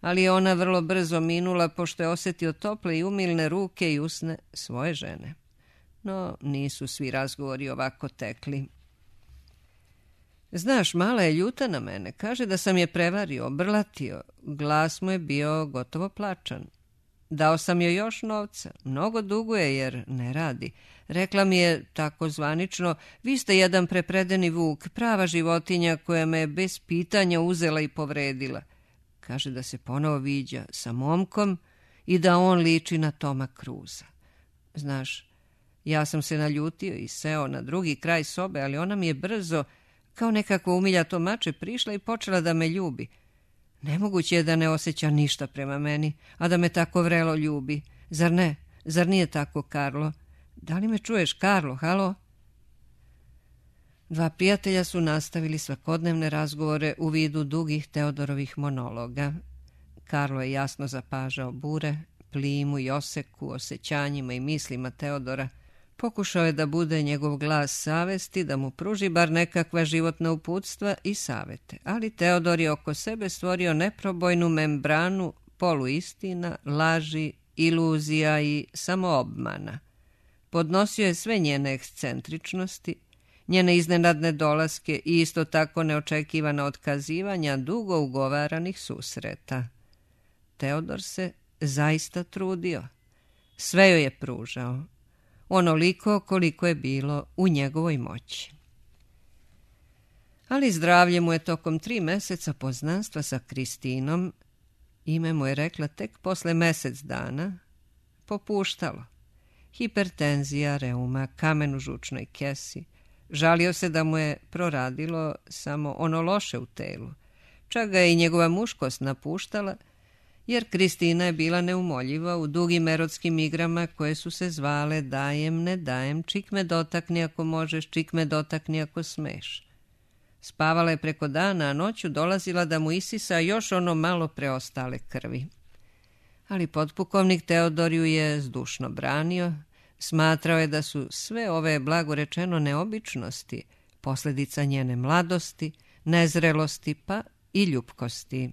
ali je ona vrlo brzo minula pošto je osjetio tople i umilne ruke i usne svoje žene. No, nisu svi razgovori ovako tekli. Znaš, mala je ljuta na mene, kaže da sam je prevario, obrlatio, glas mu je bio gotovo plačan. Dao sam joj još novca, mnogo duguje jer ne radi. Rekla mi je tako zvanično, vi ste jedan prepredeni vuk, prava životinja koja me bez pitanja uzela i povredila. Kaže da se ponovo viđa sa momkom i da on liči na Toma Cruza. Znaš, ja sam se naljutio i seo na drugi kraj sobe, ali ona mi je brzo, kao nekako umiljato mače, prišla i počela da me ljubi. Nemoguće je da ne osjeća ništa prema meni, a da me tako vrelo ljubi. Zar ne? Zar nije tako, Karlo? Da li me čuješ, Karlo? Halo? Dva prijatelja su nastavili svakodnevne razgovore u vidu dugih Teodorovih monologa. Karlo je jasno zapažao bure, plimu i oseku, osjećanjima i mislima Teodora. Pokušao je da bude njegov glas savesti, da mu pruži bar nekakva životna uputstva i savete, ali Teodor je oko sebe stvorio neprobojnu membranu poluistina, laži, iluzija i samoobmana. Podnosio je sve njene ekscentričnosti, njene iznenadne dolaske i isto tako neočekivana otkazivanja dugo ugovaranih susreta. Teodor se zaista trudio. Sve joj je pružao. Onoliko koliko je bilo u njegovoj moći. Ali zdravlje mu je tokom tri meseca poznanstva sa Kristinom, ime mu je rekla tek posle mesec dana, popuštalo. Hipertenzija, reuma, kamen u žučnoj kesi. Žalio se da mu je proradilo samo ono loše u telu. Čak ga je i njegova muškost napuštala, jer Kristina je bila neumoljiva u dugim erotskim igrama koje su se zvale dajem, ne dajem, čik me dotakni ako možeš, čik me dotakni ako smeš. Spavala je preko dana, a noću dolazila da mu isisa još ono malo preostale krvi. Ali potpukovnik Teodor ju je zdušno branio, smatrao je da su sve ove blagorečeno neobičnosti posljedica njene mladosti, nezrelosti pa i ljupkosti.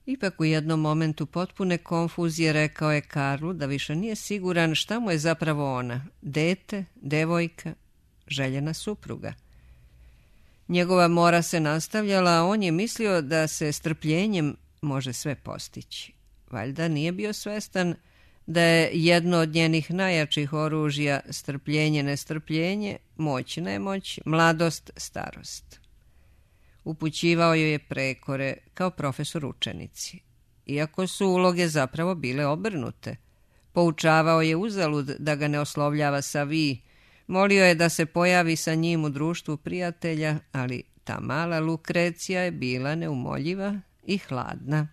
Ipak u jednom momentu potpune konfuzije rekao je Karlu da više nije siguran šta mu je zapravo ona, dete, devojka, željena supruga. Njegova mora se nastavljala, a on je mislio da se strpljenjem može sve postići. Valjda nije bio svestan da je jedno od njenih najjačih oružja strpljenje, nestrpljenje, moć, nemoć, mladost, starost. Upućivao joj je prekore kao profesor učenici, iako su uloge zapravo bile obrnute. Poučavao je uzalud da ga ne oslovljava sa vi, molio je da se pojavi sa njim u društvu prijatelja, ali ta mala Lukrecija je bila neumoljiva i hladna.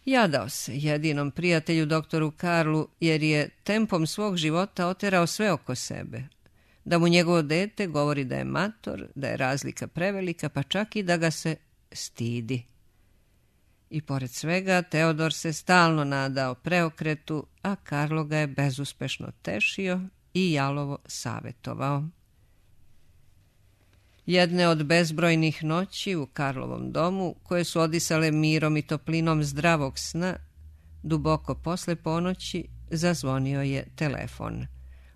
Jadao se jedinom prijatelju doktoru Karlu, jer je tempom svog života oterao sve oko sebe. Da mu njegovo dete govori da je mator, da je razlika prevelika, pa čak i da ga se stidi. I pored svega, Teodor se stalno nadao preokretu, a Karlo ga je bezuspešno tešio i jalovo savetovao. Jedne od bezbrojnih noći u Karlovom domu, koje su odisale mirom i toplinom zdravog sna, duboko posle ponoći zazvonio je telefon.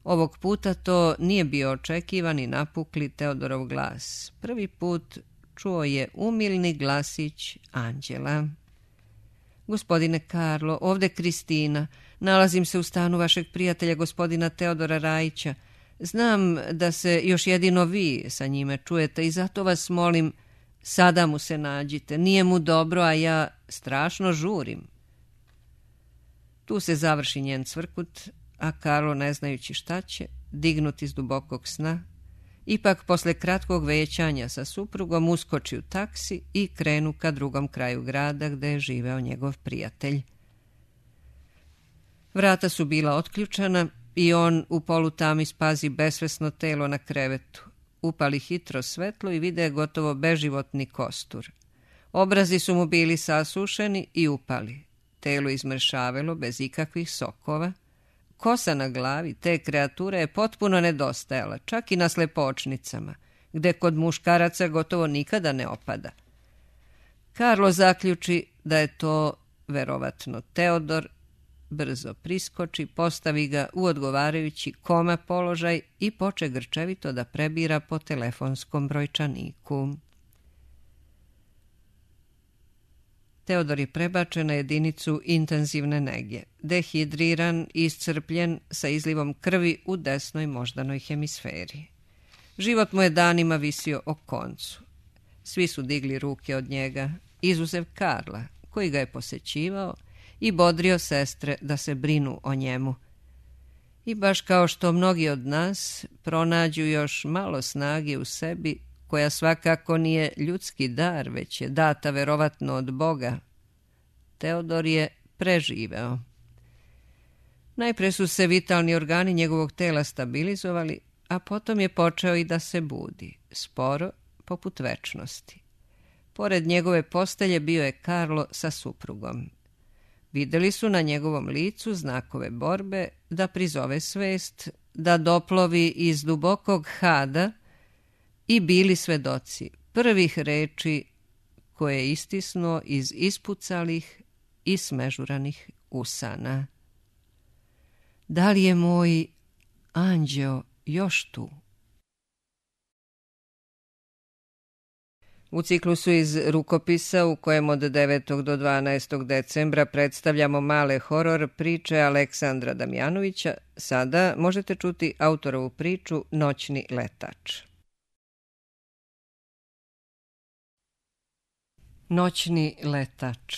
Ovog puta to nije bio očekivani napukli Teodorov glas. Prvi put čuo je umilni glasić Anđela. Gospodine Karlo, ovde Kristina. Nalazim se u stanu vašeg prijatelja gospodina Teodora Rajića. Znam da se još jedino vi sa njime čujete i zato vas molim, sada mu se nađite. Nije mu dobro, a ja strašno žurim. Tu se završi njen cvrkut, a Karlo, ne znajući šta će, dignut iz dubokog sna, ipak posle kratkog većanja sa suprugom uskoči u taksi i krenu ka drugom kraju grada gde je živeo njegov prijatelj. Vrata su bila otključana i on u polutami spazi besvesno telo na krevetu. Upali hitro svetlo i vide gotovo beživotni kostur. Obrazi su mu bili sasušeni i upali. Telo izmršavelo bez ikakvih sokova. Kosa na glavi te kreature je potpuno nedostajala, čak i na slepočnicama, gde kod muškaraca gotovo nikada ne opada. Karlo zaključi da je to verovatno Teodor, brzo priskoči, postavi ga u odgovarajući koma položaj i poče grčevito da prebira po telefonskom brojčaniku. Teodor je prebačen na jedinicu intenzivne nege, dehidriran i iscrpljen sa izlivom krvi u desnoj moždanoj hemisferi. Život mu je danima visio o koncu. Svi su digli ruke od njega, izuzev Karla, koji ga je posećivao i bodrio sestre da se brinu o njemu. I baš kao što mnogi od nas pronađu još malo snage u sebi, koja svakako nije ljudski dar, već je data verovatno od Boga, Teodor je preživeo. Najpre su se vitalni organi njegovog tela stabilizovali, a potom je počeo i da se budi, sporo, poput večnosti. Pored njegove postelje bio je Karlo sa suprugom. Videli su na njegovom licu znakove borbe da prizove svest, da doplovi iz dubokog hada i bili svedoci prvih reči koje je istisnuo iz ispucalih i smežuranih usana. Da li je moj anđeo još tu? U ciklusu iz rukopisa u kojem od devetog do dvanaestog decembra predstavljamo male horor priče Aleksandra Damjanovića, sada možete čuti autorovu priču Noćni letač. Noćni letač.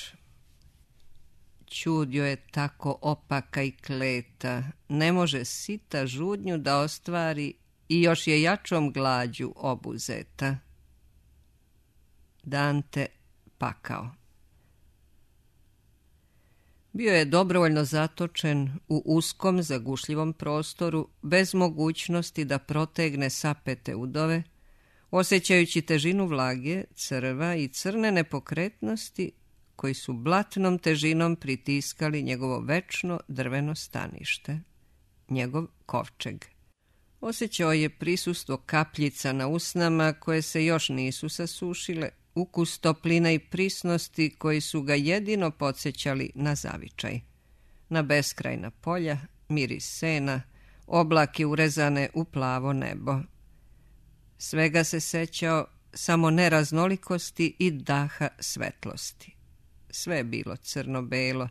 Ćudio je tako opaka i kleta, ne može sita žudnju da ostvari i još je jačom glađu obuzeta. Dante Pakao. Bio je dobrovoljno zatočen u uskom zagušljivom prostoru, bez mogućnosti da protegne sapete udove, osjećajući težinu vlage, crva i crne nepokretnosti koji su blatnom težinom pritiskali njegovo večno drveno stanište, njegov kovčeg. Osjećao je prisustvo kapljica na usnama koje se još nisu sasušile, ukus toplina i prisnosti koji su ga jedino podsjećali na zavičaj. Na beskrajna polja, miris sena, oblake urezane u plavo nebo. Svega se sećao, samo neraznolikosti i daha svetlosti. Sve je bilo crno-belo.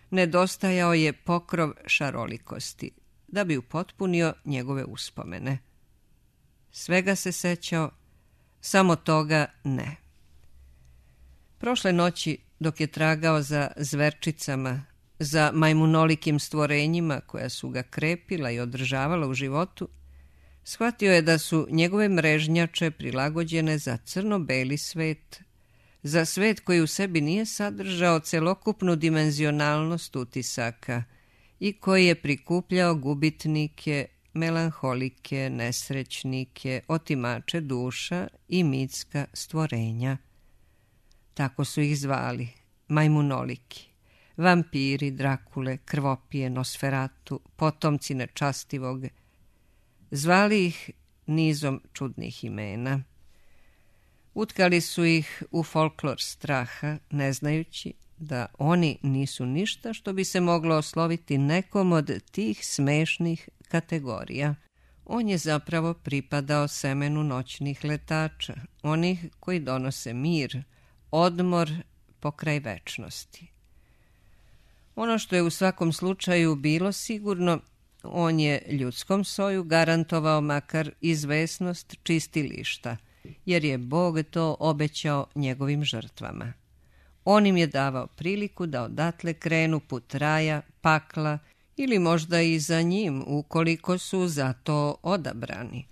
Nedostajao je pokrov šarolikosti, da bi upotpunio njegove uspomene. Svega se sećao, samo toga ne. Prošle noći, dok je tragao za zverčicama, za majmunolikim stvorenjima koja su ga krepila i održavala u životu, shvatio je da su njegove mrežnjače prilagođene za crno-beli svet, za svet koji u sebi nije sadržao celokupnu dimenzionalnost utisaka i koji je prikupljao gubitnike, melanholike, nesrećnike, otimače duša i mitska stvorenja. Tako su ih zvali, majmunoliki, vampiri, Drakule, krvopije, Nosferatu, potomci nečastivog. Zvali ih nizom čudnih imena. Utkali su ih u folklor straha, ne znajući da oni nisu ništa što bi se moglo osloviti nekom od tih smešnih kategorija. On je zapravo pripadao semenu noćnih letača, onih koji donose mir, odmor pokraj večnosti. Ono što je u svakom slučaju bilo sigurno, on je ljudskom soju garantovao makar izvesnost čistilišta, jer je Bog to obećao njegovim žrtvama. On im je davao priliku da odatle krenu put raja, pakla ili možda i za njim, ukoliko su za to odabrani,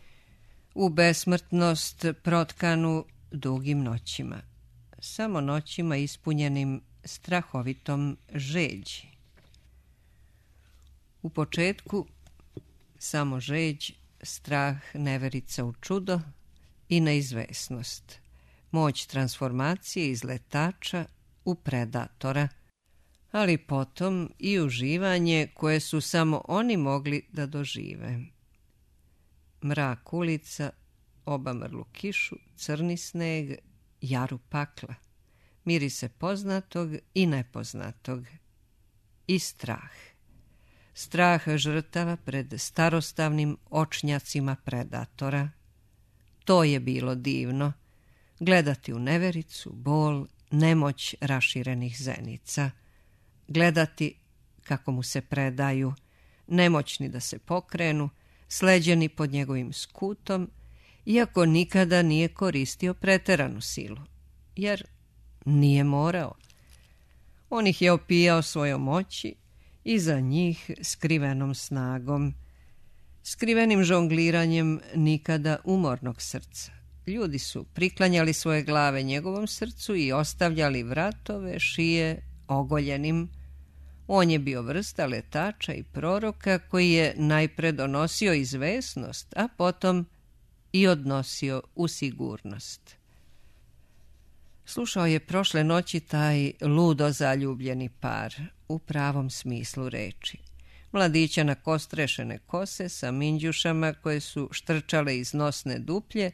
u besmrtnost protkanu dugim noćima, samo noćima ispunjenim strahovitom žeđi. U početku samo žeđ, strah, neverica u čudo i neizvesnost. Moć transformacije iz letača u predatora, ali potom i uživanje koje su samo oni mogli da dožive. Mrak ulica, obamrlu kišu, crni sneg, jaru pakla, mirise poznatog i nepoznatog i strah. Strah žrtava pred starostavnim očnjacima predatora. To je bilo divno, gledati u nevericu, bol, nemoć raširenih zenica, gledati kako mu se predaju, nemoćni da se pokrenu, sleđeni pod njegovim skutom, iako nikada nije koristio preteranu silu, jer nije morao. On ih je opijao svojom moći i za njih skrivenom snagom, skrivenim žongliranjem nikada umornog srca. Ljudi su priklanjali svoje glave njegovom srcu i ostavljali vratove, šije ogoljenim. On je bio vrsta letača i proroka koji je najpre donosio izvesnost, a potom i odnosio u sigurnost. Slušao je prošle noći taj ludo zaljubljeni par, u pravom smislu reči. Mladića na kostrešene kose sa minđušama koje su štrčale iz nosne duplje,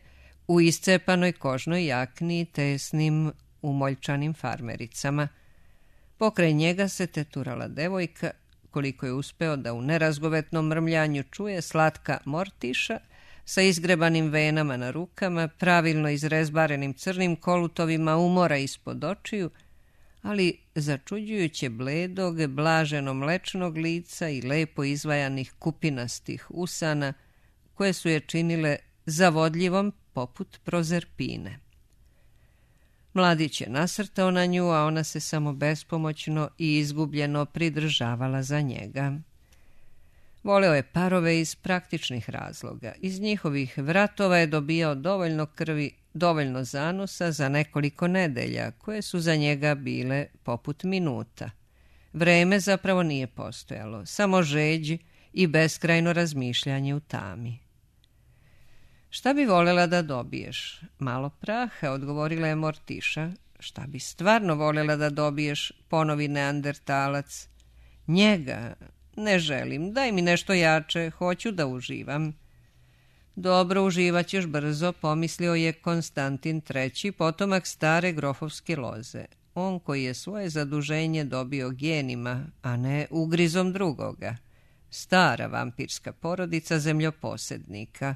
u iscepanoj kožnoj jakni i tesnim umoljčanim farmericama. Pokraj njega se teturala devojka, koliko je uspeo da u nerazgovetnom mrmljanju čuje, slatka Mortiša, sa izgrebanim venama na rukama, pravilno izrezbarenim crnim kolutovima umora ispod očiju, ali začuđujuće bledog, blaženo mlečnog lica i lepo izvajanih kupinastih usana, koje su je činile zavodljivom poput prozerpine. Mladić je nasrtao na nju, a ona se samo bespomoćno i izgubljeno pridržavala za njega. Voleo je parove iz praktičnih razloga. Iz njihovih vratova je dobijao dovoljno krvi, dovoljno zanosa za nekoliko nedelja, koje su za njega bile poput minuta. Vreme zapravo nije postojalo, samo žeđ i beskrajno razmišljanje u tami. Šta bi voljela da dobiješ? Malo praha, odgovorila je Mortiša. Šta bi stvarno voljela da dobiješ? Ponovi neandertalac. Njega. Ne želim, daj mi nešto jače, hoću da uživam. Dobro, uživat ćeš brzo, pomislio je Konstantin treći, potomak stare grofovske loze. On koji je svoje zaduženje dobio genima, a ne ugrizom drugoga. Stara vampirska porodica zemljoposednika.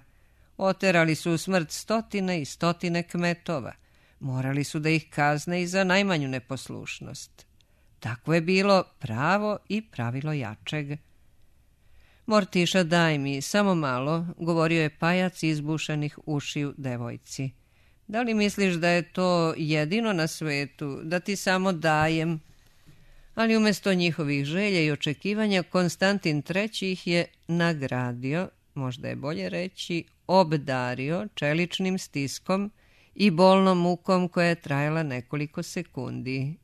Oterali su u smrt stotine i stotine kmetova. Morali su da ih kazne i za najmanju neposlušnost. Tako je bilo pravo i pravilo jačeg. Mortiša, daj mi, samo malo, govorio je pajac izbušanih ušiju devojci. Da li misliš da je to jedino na svetu, da ti samo dajem? Ali umjesto njihovih želja i očekivanja, Konstantin treći ih je nagradio, možda je bolje reći, obdario čeličnim stiskom i bolnom mukom koja je trajala nekoliko sekundi.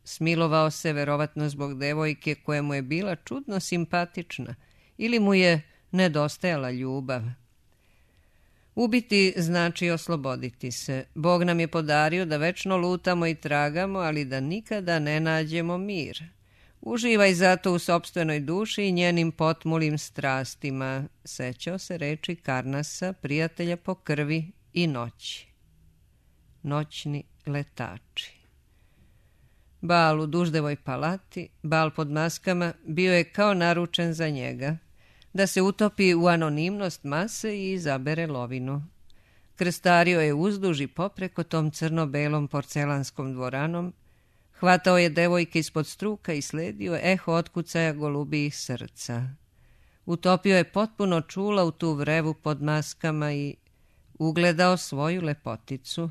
Smilovao se verovatno zbog devojke koja mu je bila čudno simpatična ili mu je nedostajala ljubav. Ubiti znači osloboditi se. Bog nam je podario da večno lutamo i tragamo, ali da nikada ne nađemo mir. Uživaj zato u sopstvenoj duši i njenim potmulim strastima, sećao se reči Karnasa, prijatelja po krvi i noći. Noćni letači. Bal u Duždevoj palati, bal pod maskama, bio je kao naručen za njega, da se utopi u anonimnost mase i izabere lovinu. Krstario je uzduž i popreko tom crno-belom porcelanskom dvoranom, hvatao je devojke ispod struka i sledio eho otkucaja golubijih srca. Utopio je potpuno čula u tu vrevu pod maskama i ugledao svoju lepoticu.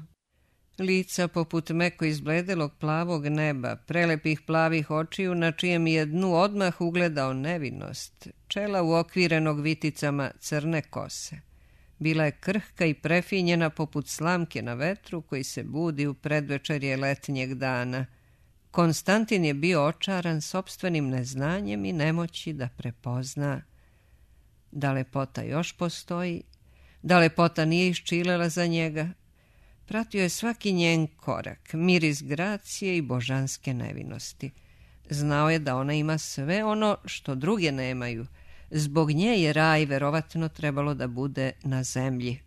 Lica poput meko izbledelog plavog neba, prelepih plavih očiju na čijem je dnu odmah ugledao nevinost, čela uokvirenog viticama crne kose. Bila je krhka i prefinjena poput slamke na vetru koji se budi u predvečerje letnjeg dana. Konstantin je bio očaran sopstvenim neznanjem i nemoći da prepozna da lepota još postoji, da lepota nije iščilela za njega. Pratio je svaki njen korak, miris gracije i božanske nevinosti. Znao je da ona ima sve ono što druge nemaju. Zbog nje je raj verovatno trebalo da bude na zemlji.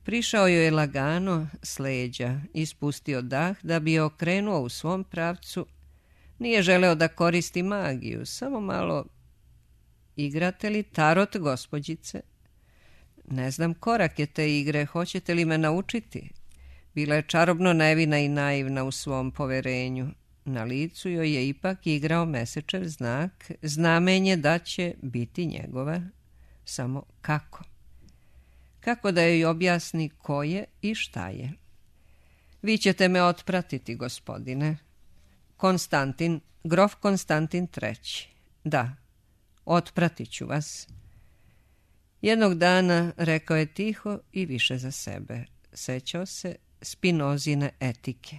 Prišao joj je lagano s leđa, ispustio dah da bi je okrenuo u svom pravcu. Nije želeo da koristi magiju, samo malo... Igrate li tarot, gospođice? Ne znam korake te igre, hoćete li me naučiti? Bila je čarobno nevina i naivna u svom poverenju. Na licu joj je ipak igrao mesečev znak, znamenje da će biti njegova. Samo kako? Kako da joj objasni ko je i šta je? Vi ćete me otpratiti, gospodine. Konstantin, grof Konstantin treći. Da, otpratit ću vas. Jednog dana rekao je tiho i više za sebe. Sećao se Spinozine etike.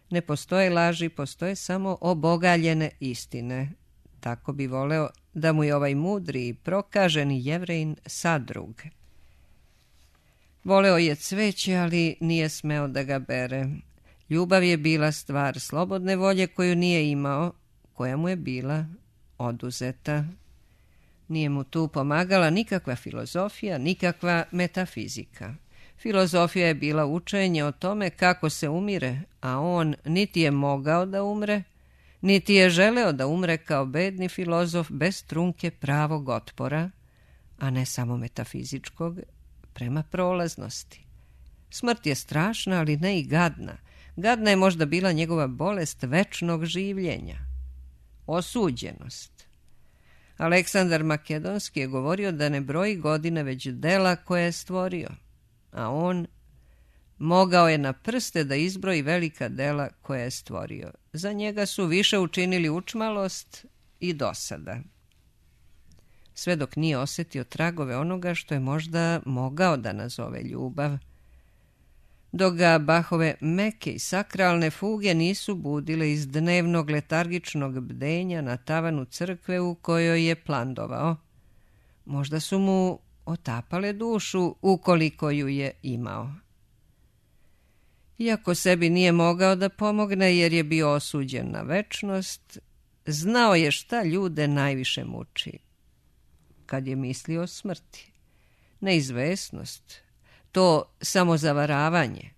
Ne postoje laži, postoje samo obogaljene istine. Tako bi voleo da mu je ovaj mudri i prokaženi Jevrejin sadrug. Voleo je cveće, ali nije smeo da ga bere. Ljubav je bila stvar slobodne volje koju nije imao, koja mu je bila oduzeta. Nije mu tu pomagala nikakva filozofija, nikakva metafizika. Filozofija je bila učenje o tome kako se umire, a on niti je mogao da umre, niti je želeo da umre kao bedni filozof bez trunke pravog otpora, a ne samo metafizičkog, prema prolaznosti. Smrt je strašna, ali ne i gadna. Gadna je možda bila njegova bolest večnog življenja. Osuđenost. Aleksandar Makedonski je govorio da ne broji godine već dela koje je stvorio, a on mogao je na prste da izbroji velika dela koje je stvorio. Za njega su više učinili učmalost i dosada. Sve dok nije osjetio tragove onoga što je možda mogao da nazove ljubav, dok ga Bachove meke i sakralne fuge nisu budile iz dnevnog letargičnog bdenja na tavanu crkve u kojoj je plandovao. Možda su mu otapale dušu ukoliko ju je imao. Iako sebi nije mogao da pomogne jer je bio osuđen na večnost, znao je šta ljude najviše muči. Kad je mislio o smrti, neizvesnost, to samozavaravanje,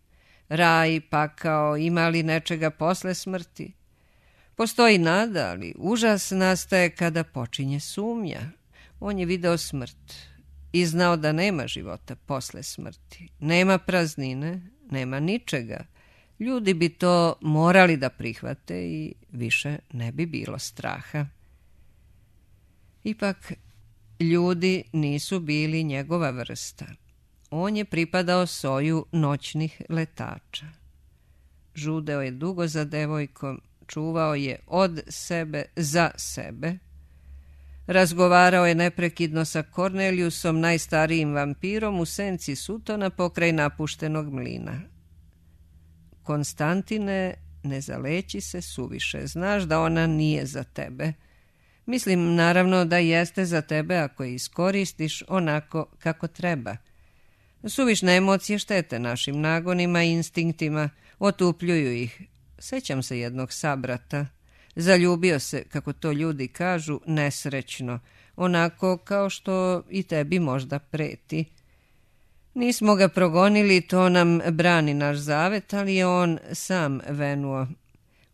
raj, pakao, ima li nečega posle smrti. Postoji nada, ali užas nastaje kada počinje sumnja. On je video smrt i znao da nema života posle smrti. Nema praznine, nema ničega. Ljudi bi to morali da prihvate i više ne bi bilo straha. Ipak, ljudi nisu bili njegova vrsta. On je pripadao soju noćnih letača. Žudeo je dugo za devojkom, čuvao je od sebe za sebe. Razgovarao je neprekidno sa Kornelijusom, najstarijim vampirom u senci Sutona pokraj napuštenog mlina. Konstantine, ne zaleći se suviše, znaš da ona nije za tebe. Mislim naravno da jeste za tebe ako je iskoristiš onako kako treba. Suvišne emocije štete našim nagonima i instinktima, otupljuju ih. Sećam se jednog sabrata. Zaljubio se, kako to ljudi kažu, nesrećno, onako kao što i tebi možda preti. Nismo ga progonili, to nam brani naš zavet, ali je on sam venuo.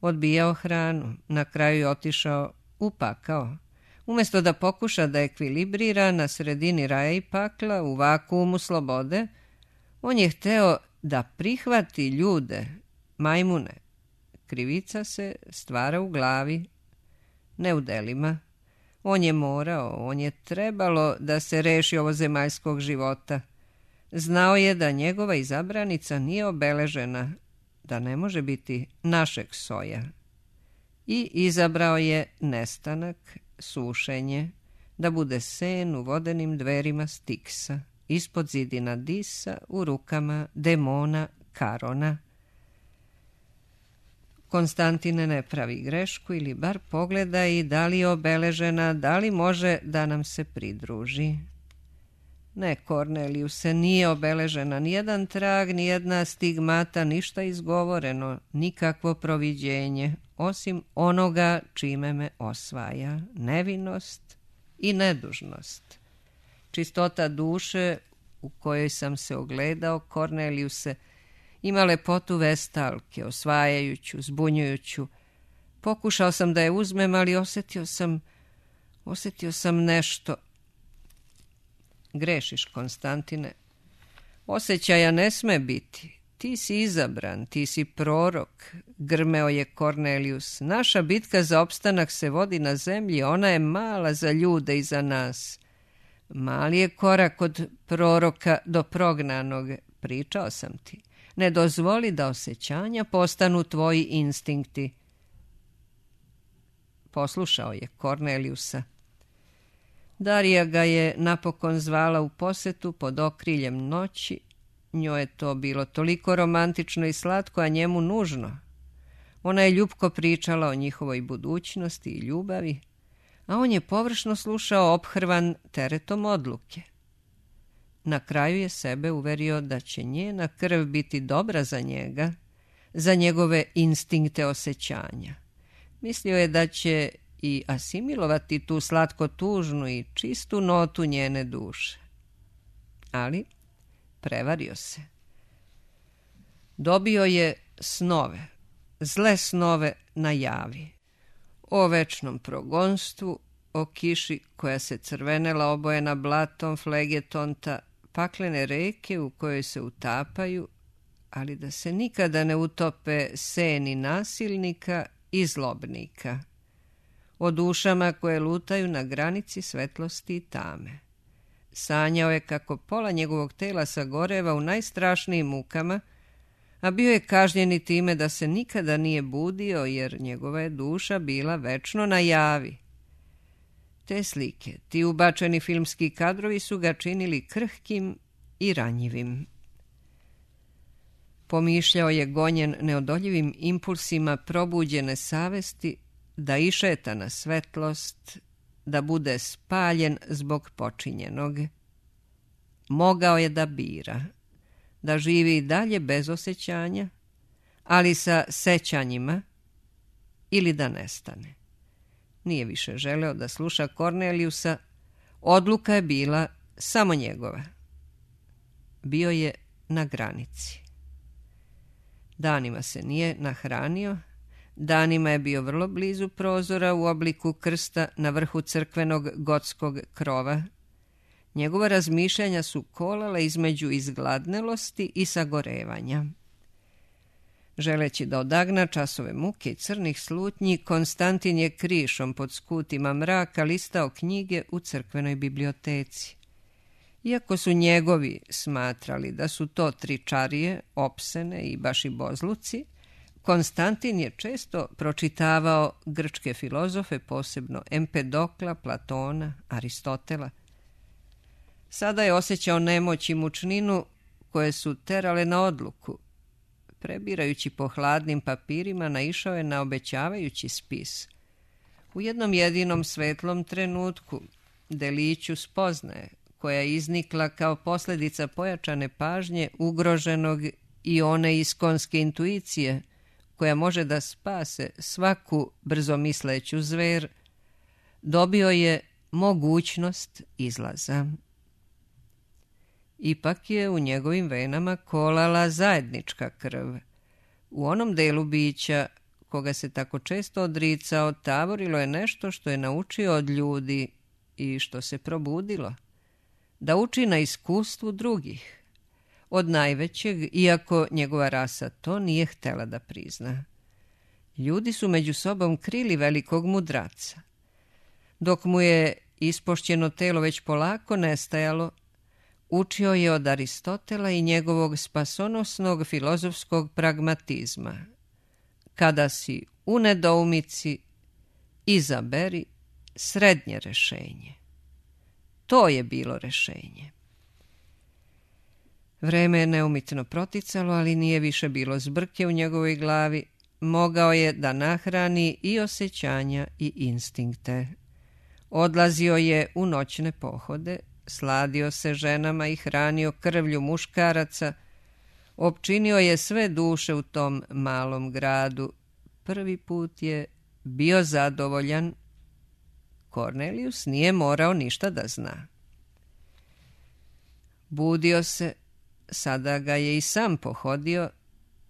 Odbijao hranu, na kraju je otišao u pakao. Umjesto da pokuša da ekvilibrira na sredini raja i pakla, u vakuumu slobode, on je hteo da prihvati ljude, majmune. Krivica se stvara u glavi, ne u delima. On je morao, on je trebalo da se reši ovozemaljskog života. Znao je da njegova izabranica nije obeležena, da ne može biti našeg soja. I izabrao je nestanak, sušenje, da bude sen u vodenim dverima Stiksa, ispod zidina Disa, u rukama demona Karona. Konstantine ne pravi grešku ili bar pogleda i da li je obeležena, da li može da nam se pridruži. Ne, Kornelijuse, nije obeležena nijedan trag, nijedna stigmata, ništa izgovoreno, nikakvo proviđenje, osim onoga čime me osvaja, nevinost i nedužnost. Čistota duše u kojoj sam se ogledao, Kornelijuse, ima lepotu vestalke, osvajajuću, zbunjujuću. Pokušao sam da je uzmem, ali osjetio sam, osjetio sam nešto. Grešiš, Konstantine. Osjećaja ne sme biti. Ti si izabran, ti si prorok, grmeo je Kornelijus. Naša bitka za opstanak se vodi na zemlji, ona je mala za ljude i za nas. Mali je korak od proroka do prognanog, pričao sam ti. Ne dozvoli da osjećanja postanu tvoji instinkti. Poslušao je Kornelijusa. Darija ga je napokon zvala u posetu pod okriljem noći. Njoj je to bilo toliko romantično i slatko, a njemu nužno. Ona je ljubko pričala o njihovoj budućnosti i ljubavi, a on je površno slušao ophrvan teretom odluke. Na kraju je sebe uverio da će njena krv biti dobra za njega, za njegove instinkte osjećanja. Mislio je da će i asimilovati tu slatko-tužnu i čistu notu njene duše. Ali prevario se. Dobio je snove, zle snove na javi. O večnom progonstvu, o kiši koja se crvenela obojena blatom flegetonta, paklene reke u kojoj se utapaju, ali da se nikada ne utope seni nasilnika i zlobnika. O dušama koje lutaju na granici svetlosti i tame. Sanjao je kako pola njegovog tela sagoreva u najstrašnijim mukama, a bio je kažnjen i time da se nikada nije budio, jer njegova je duša bila večno na javi. Te slike, ti ubačeni filmski kadrovi su ga činili krhkim i ranjivim. Pomišljao je gonjen neodoljivim impulsima probuđene savesti da išeta na svetlost, da bude spaljen zbog počinjenog. Mogao je da bira, da živi i dalje bez osjećanja, ali sa sećanjima, ili da nestane. Nije više želeo da sluša Kornelijusa, odluka je bila samo njegova. Bio je na granici. Danima se nije nahranio, danima je bio vrlo blizu prozora u obliku krsta na vrhu crkvenog gotskog krova. Njegova razmišljanja su kolala između izgladnelosti i sagorevanja. Želeći da odagna časove muke i crnih slutnji, Konstantin je krišom pod skutima mraka listao knjige u crkvenoj biblioteci. Iako su njegovi smatrali da su to tričarije, opsene i bašibozluci, Konstantin je često pročitavao grčke filozofe, posebno Empedokla, Platona, Aristotela. Sada je osjećao nemoć i mučninu koje su terale na odluku. Prebirajući po hladnim papirima, naišao je na obećavajući spis. U jednom jedinom svetlom trenutku, deliću spoznaje, koja je iznikla kao posljedica pojačane pažnje ugroženog i one iskonske intuicije, koja može da spase svaku brzomisleću zver, dobio je mogućnost izlaza. Ipak je u njegovim venama kolala zajednička krv. U onom delu bića, koga se tako često odricao, tavorilo je nešto što je naučio od ljudi i što se probudilo. Da uči na iskustvu drugih. Od najvećeg, iako njegova rasa to nije htela da prizna. Ljudi su među sobom krili velikog mudraca. Dok mu je ispošćeno telo već polako nestajalo, učio je od Aristotela i njegovog spasonosnog filozofskog pragmatizma. Kada si u nedoumici, izaberi srednje rešenje. To je bilo rešenje. Vreme je neumitno proticalo, ali nije više bilo zbrke u njegovoj glavi. mogao je da nahrani i osjećanja i instinkte. Odlazio je u noćne pohode, sladio se ženama i hranio krvlju muškaraca, opčinio je sve duše u tom malom gradu. Prvi put je bio zadovoljan. Kornelijus nije morao ništa da zna. Budio se, sada ga je i sam pohodio,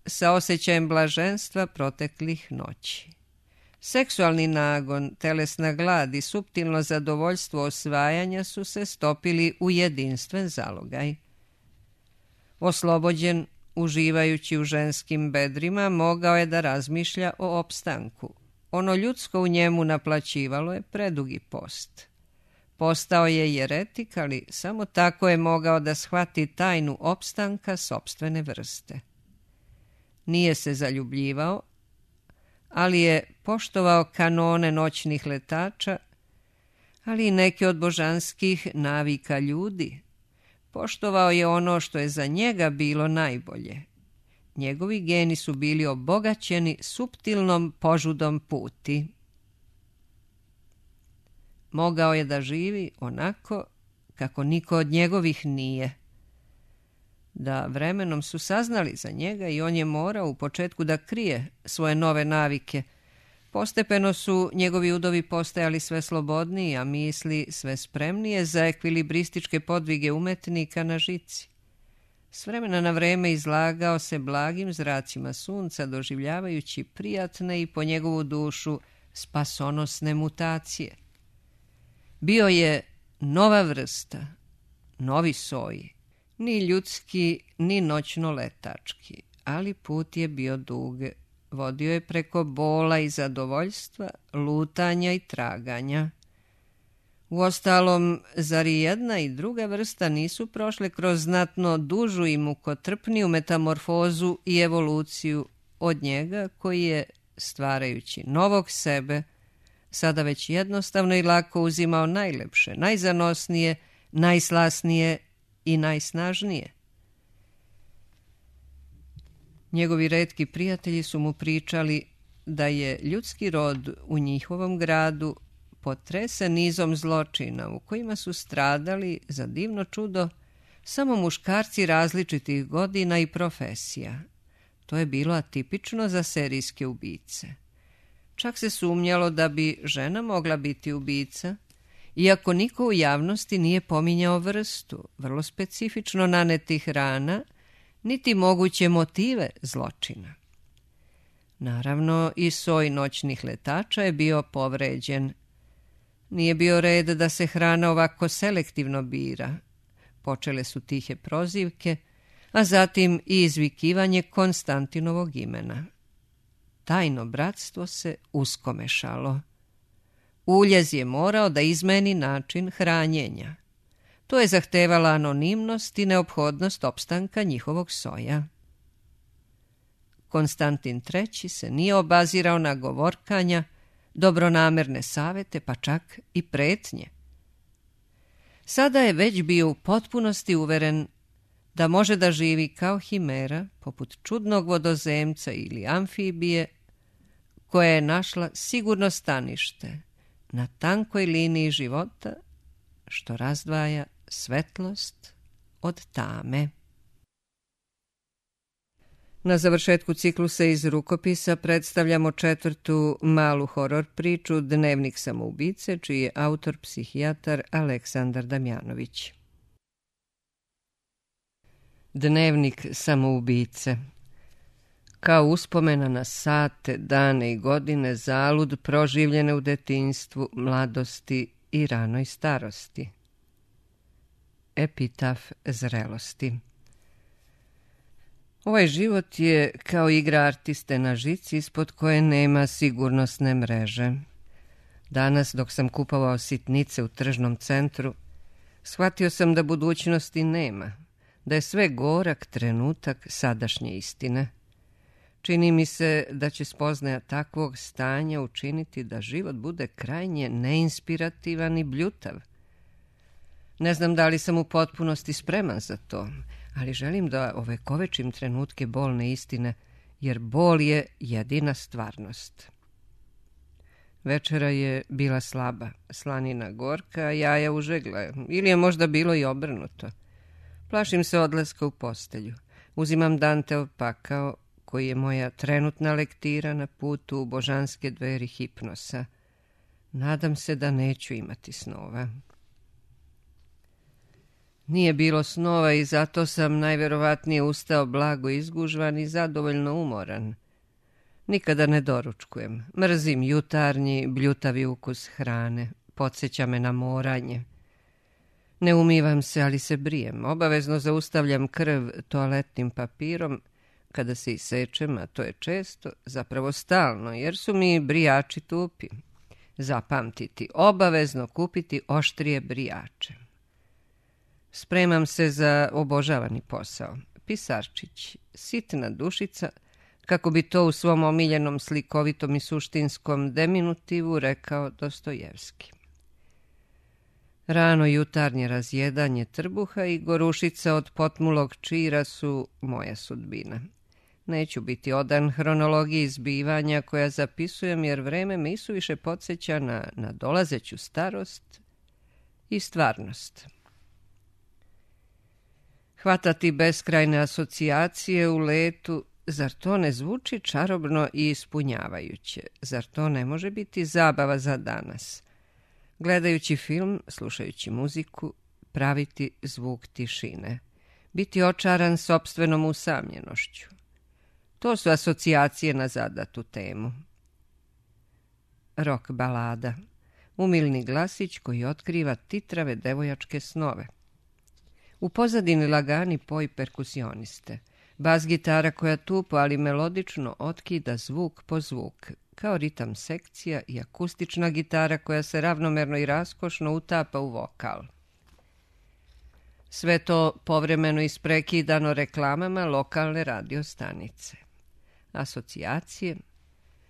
sa osjećajem blaženstva proteklih noći. Seksualni nagon, telesna glad i suptilno zadovoljstvo osvajanja su se stopili u jedinstven zalogaj. Oslobođen, uživajući u ženskim bedrima, mogao je da razmišlja o opstanku. Ono ljudsko u njemu naplaćivalo je predugi post. Postao je jeretik, ali samo tako je mogao da shvati tajnu opstanka sopstvene vrste. Nije se zaljubljivao, ali je poštovao kanone noćnih letača, ali i neke od božanskih navika ljudi. Poštovao je ono što je za njega bilo najbolje. Njegovi geni su bili obogaćeni suptilnom požudom puti. Mogao je da živi onako kako niko od njegovih nije. Da vremenom su saznali za njega i on je morao u početku da krije svoje nove navike. Postepeno su njegovi udovi postajali sve slobodniji, a misli sve spremnije za ekvilibrističke podvige umetnika na žici. S vremena na vreme izlagao se blagim zracima sunca, doživljavajući prijatne i po njegovu dušu spasonosne mutacije. Bio je nova vrsta, novi soj, ni ljudski, ni noćno letački, ali put je bio dug. Vodio je preko bola i zadovoljstva, lutanja i traganja. Uostalom, zar i jedna i druga vrsta nisu prošle kroz znatno dužu i mukotrpniju metamorfozu i evoluciju od njega koji je, stvarajući novog sebe, sada već jednostavno i lako uzimao najlepše, najzanosnije, najslasnije i najsnažnije. Njegovi retki prijatelji su mu pričali da je ljudski rod u njihovom gradu potresen nizom zločina u kojima su stradali, za divno čudo, samo muškarci različitih godina i profesija. To je bilo atipično za serijske ubice. Čak se sumnjalo da bi žena mogla biti ubica, iako niko u javnosti nije pominjao vrstu, vrlo specifično nanetih rana, niti moguće motive zločina. Naravno, i soj noćnih letača je bio povređen. Nije bio red da se hrana ovako selektivno bira. Počele su tihe prozivke, a zatim i izvikivanje Konstantinovog imena. Tajno bratstvo se uskomešalo. Uljez je morao da izmeni način hranjenja. To je zahtevala anonimnost i neophodnost opstanka njihovog soja. Konstantin treći se nije obazirao na govorkanja, dobronamerne savete, pa čak i pretnje. Sada je već bio u potpunosti uveren da može da živi kao himera, poput čudnog vodozemca ili amfibije, koja je našla sigurno stanište na tankoj liniji života, što razdvaja svetlost od tame. Na završetku ciklusa iz rukopisa predstavljamo četvrtu malu horor priču Dnevnik samoubice, čiji je autor psihijatar Aleksandar Damjanović. Dnevnik samoubice. Kao uspomena na sate, dane i godine zalud proživljene u detinjstvu, mladosti i ranoj starosti. Epitaf zrelosti. Ovaj život je kao igra artiste na žici ispod koje nema sigurnosne mreže. Danas, dok sam kupovao sitnice u tržnom centru, shvatio sam da budućnosti nema, da je sve gorak trenutak sadašnje istine. Čini mi se da će spoznaja takvog stanja učiniti da život bude krajnje neinspirativan i bljutav. Ne znam da li sam u potpunosti spreman za to, ali želim da ovekovečim trenutke bolne istine jer bol je jedina stvarnost. Večera je bila slaba, slanina gorka, a jaja užegla, ili je možda bilo i obrnuto. Plašim se odlaska u postelju. Uzimam Danteov pakao, koji je moja trenutna lektira na putu u božanske dveri hipnosa. Nadam se da neću imati snova. Nije bilo snova i zato sam najverovatnije ustao blago izgužvan i zadovoljno umoran. Nikada ne doručkujem. Mrzim jutarnji, bljutavi ukus hrane. Podsjeća me na moranje. Ne umivam se, ali se brijem. Obavezno zaustavljam krv toaletnim papirom kada se isečem, a to je često, zapravo stalno, jer su mi brijači tupi. Zapamtiti, obavezno kupiti oštrije brijače. Spremam se za obožavani posao. Pisarčić, sitna dušica, kako bi to u svom omiljenom slikovitom i suštinskom deminutivu rekao Dostojevski. Rano jutarnje razjedanje trbuha i gorušica od potmulog čira su moja sudbina. Neću biti odan hronologiji zbivanja koja zapisujem, jer vreme me isuviše podsjeća na nadolazeću starost i stvarnost. Hvatati beskrajne asocijacije u letu, zar to ne zvuči čarobno i ispunjavajuće? Zar to ne može biti zabava za danas? Gledajući film, slušajući muziku, praviti zvuk tišine, biti očaran sopstvenom usamljenošću. To su asocijacije na zadatu temu. Rock balada, umilni glasić koji otkriva titrave devojačke snove. U pozadini lagani poj perkusioniste, bas gitara koja tupo, ali melodično otkida zvuk po zvuk, kao ritam sekcija i akustična gitara koja se ravnomerno i raskošno utapa u vokal. Sve to povremeno isprekidano reklamama lokalne radio stanice. Asocijacije,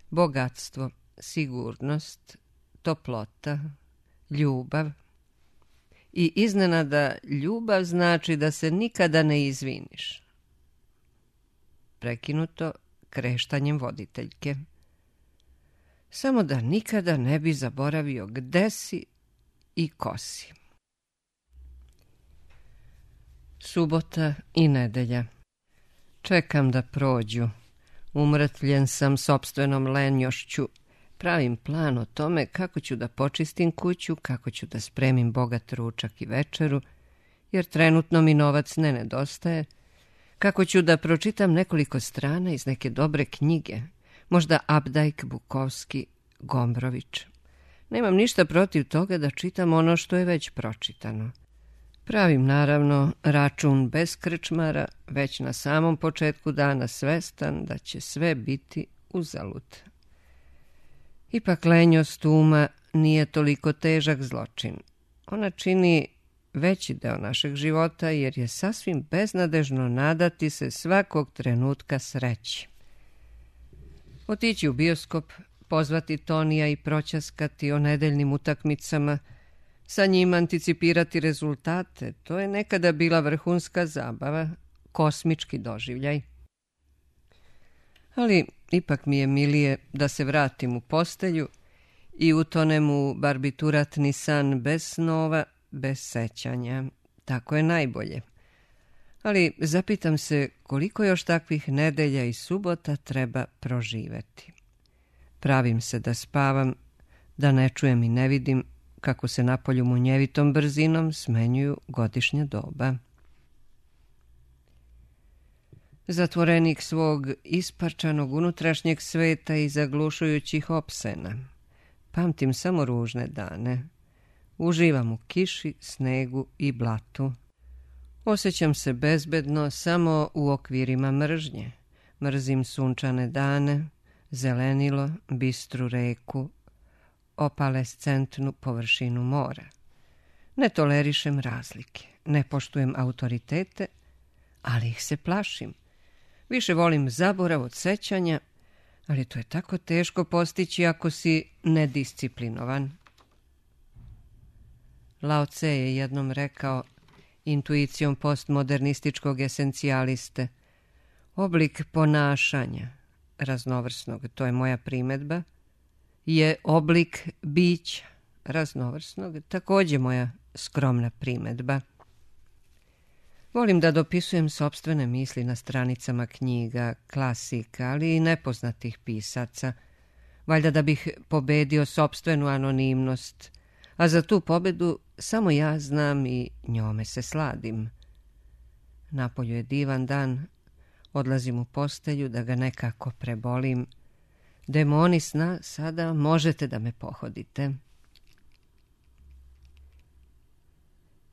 bogatstvo, sigurnost, toplota, ljubav. I iznenada ljubav znači da se nikada ne izviniš. Prekinuto kreštanjem voditeljke. Samo da nikada ne bi zaboravio gde si i ko si. Subota i nedelja. Čekam da prođu. Umrtljen sam sopstvenom lenjošću. Pravim plan o tome kako ću da počistim kuću, kako ću da spremim bogat ručak i večeru, jer trenutno mi novac ne nedostaje, kako ću da pročitam nekoliko strana iz neke dobre knjige, možda Abdajk, Bukovski, Gombrović. Nemam ništa protiv toga da čitam ono što je već pročitano. Pravim, naravno, račun bez krčmara, već na samom početku dana svestan da će sve biti uzalud. Ipak lenjost uma nije toliko težak zločin. Ona čini veći deo našeg života, jer je sasvim beznadežno nadati se svakog trenutka sreći. Otići u bioskop, pozvati Tonija i proćaskati o nedeljnim utakmicama, sa njim anticipirati rezultate, to je nekada bila vrhunska zabava, kosmički doživljaj. Ali ipak mi je milije da se vratim u postelju i utonem u barbituratni san bez snova, bez sećanja. Tako je najbolje. Ali zapitam se koliko još takvih nedelja i subota treba proživeti. Pravim se da spavam, da ne čujem i ne vidim kako se napolju munjevitom brzinom smenjuju godišnja doba. Zatvorenik svog isparčanog unutrašnjeg sveta i zaglušujućih opsena. Pamtim samo ružne dane. Uživam u kiši, snegu i blatu. Osjećam se bezbedno samo u okvirima mržnje. Mrzim sunčane dane, zelenilo, bistru reku, opalescentnu površinu mora. Ne tolerišem razlike, ne poštujem autoritete, ali ih se plašim. Više volim zaborav od sećanja, ali to je tako teško postići ako si nedisciplinovan. Lao Tse je jednom rekao, intuicijom postmodernističkog esencijaliste, oblik ponašanja, raznovrsnog, to je moja primedba, je oblik bića raznovrsnog, također moja skromna primedba. Volim da dopisujem sopstvene misli na stranicama knjiga, klasika, ali i nepoznatih pisaca, valjda da bih pobedio sopstvenu anonimnost, a za tu pobedu samo ja znam i njome se sladim. Napolju je divan dan, odlazim u postelju da ga nekako prebolim. Demoni sna, sada možete da me pohodite.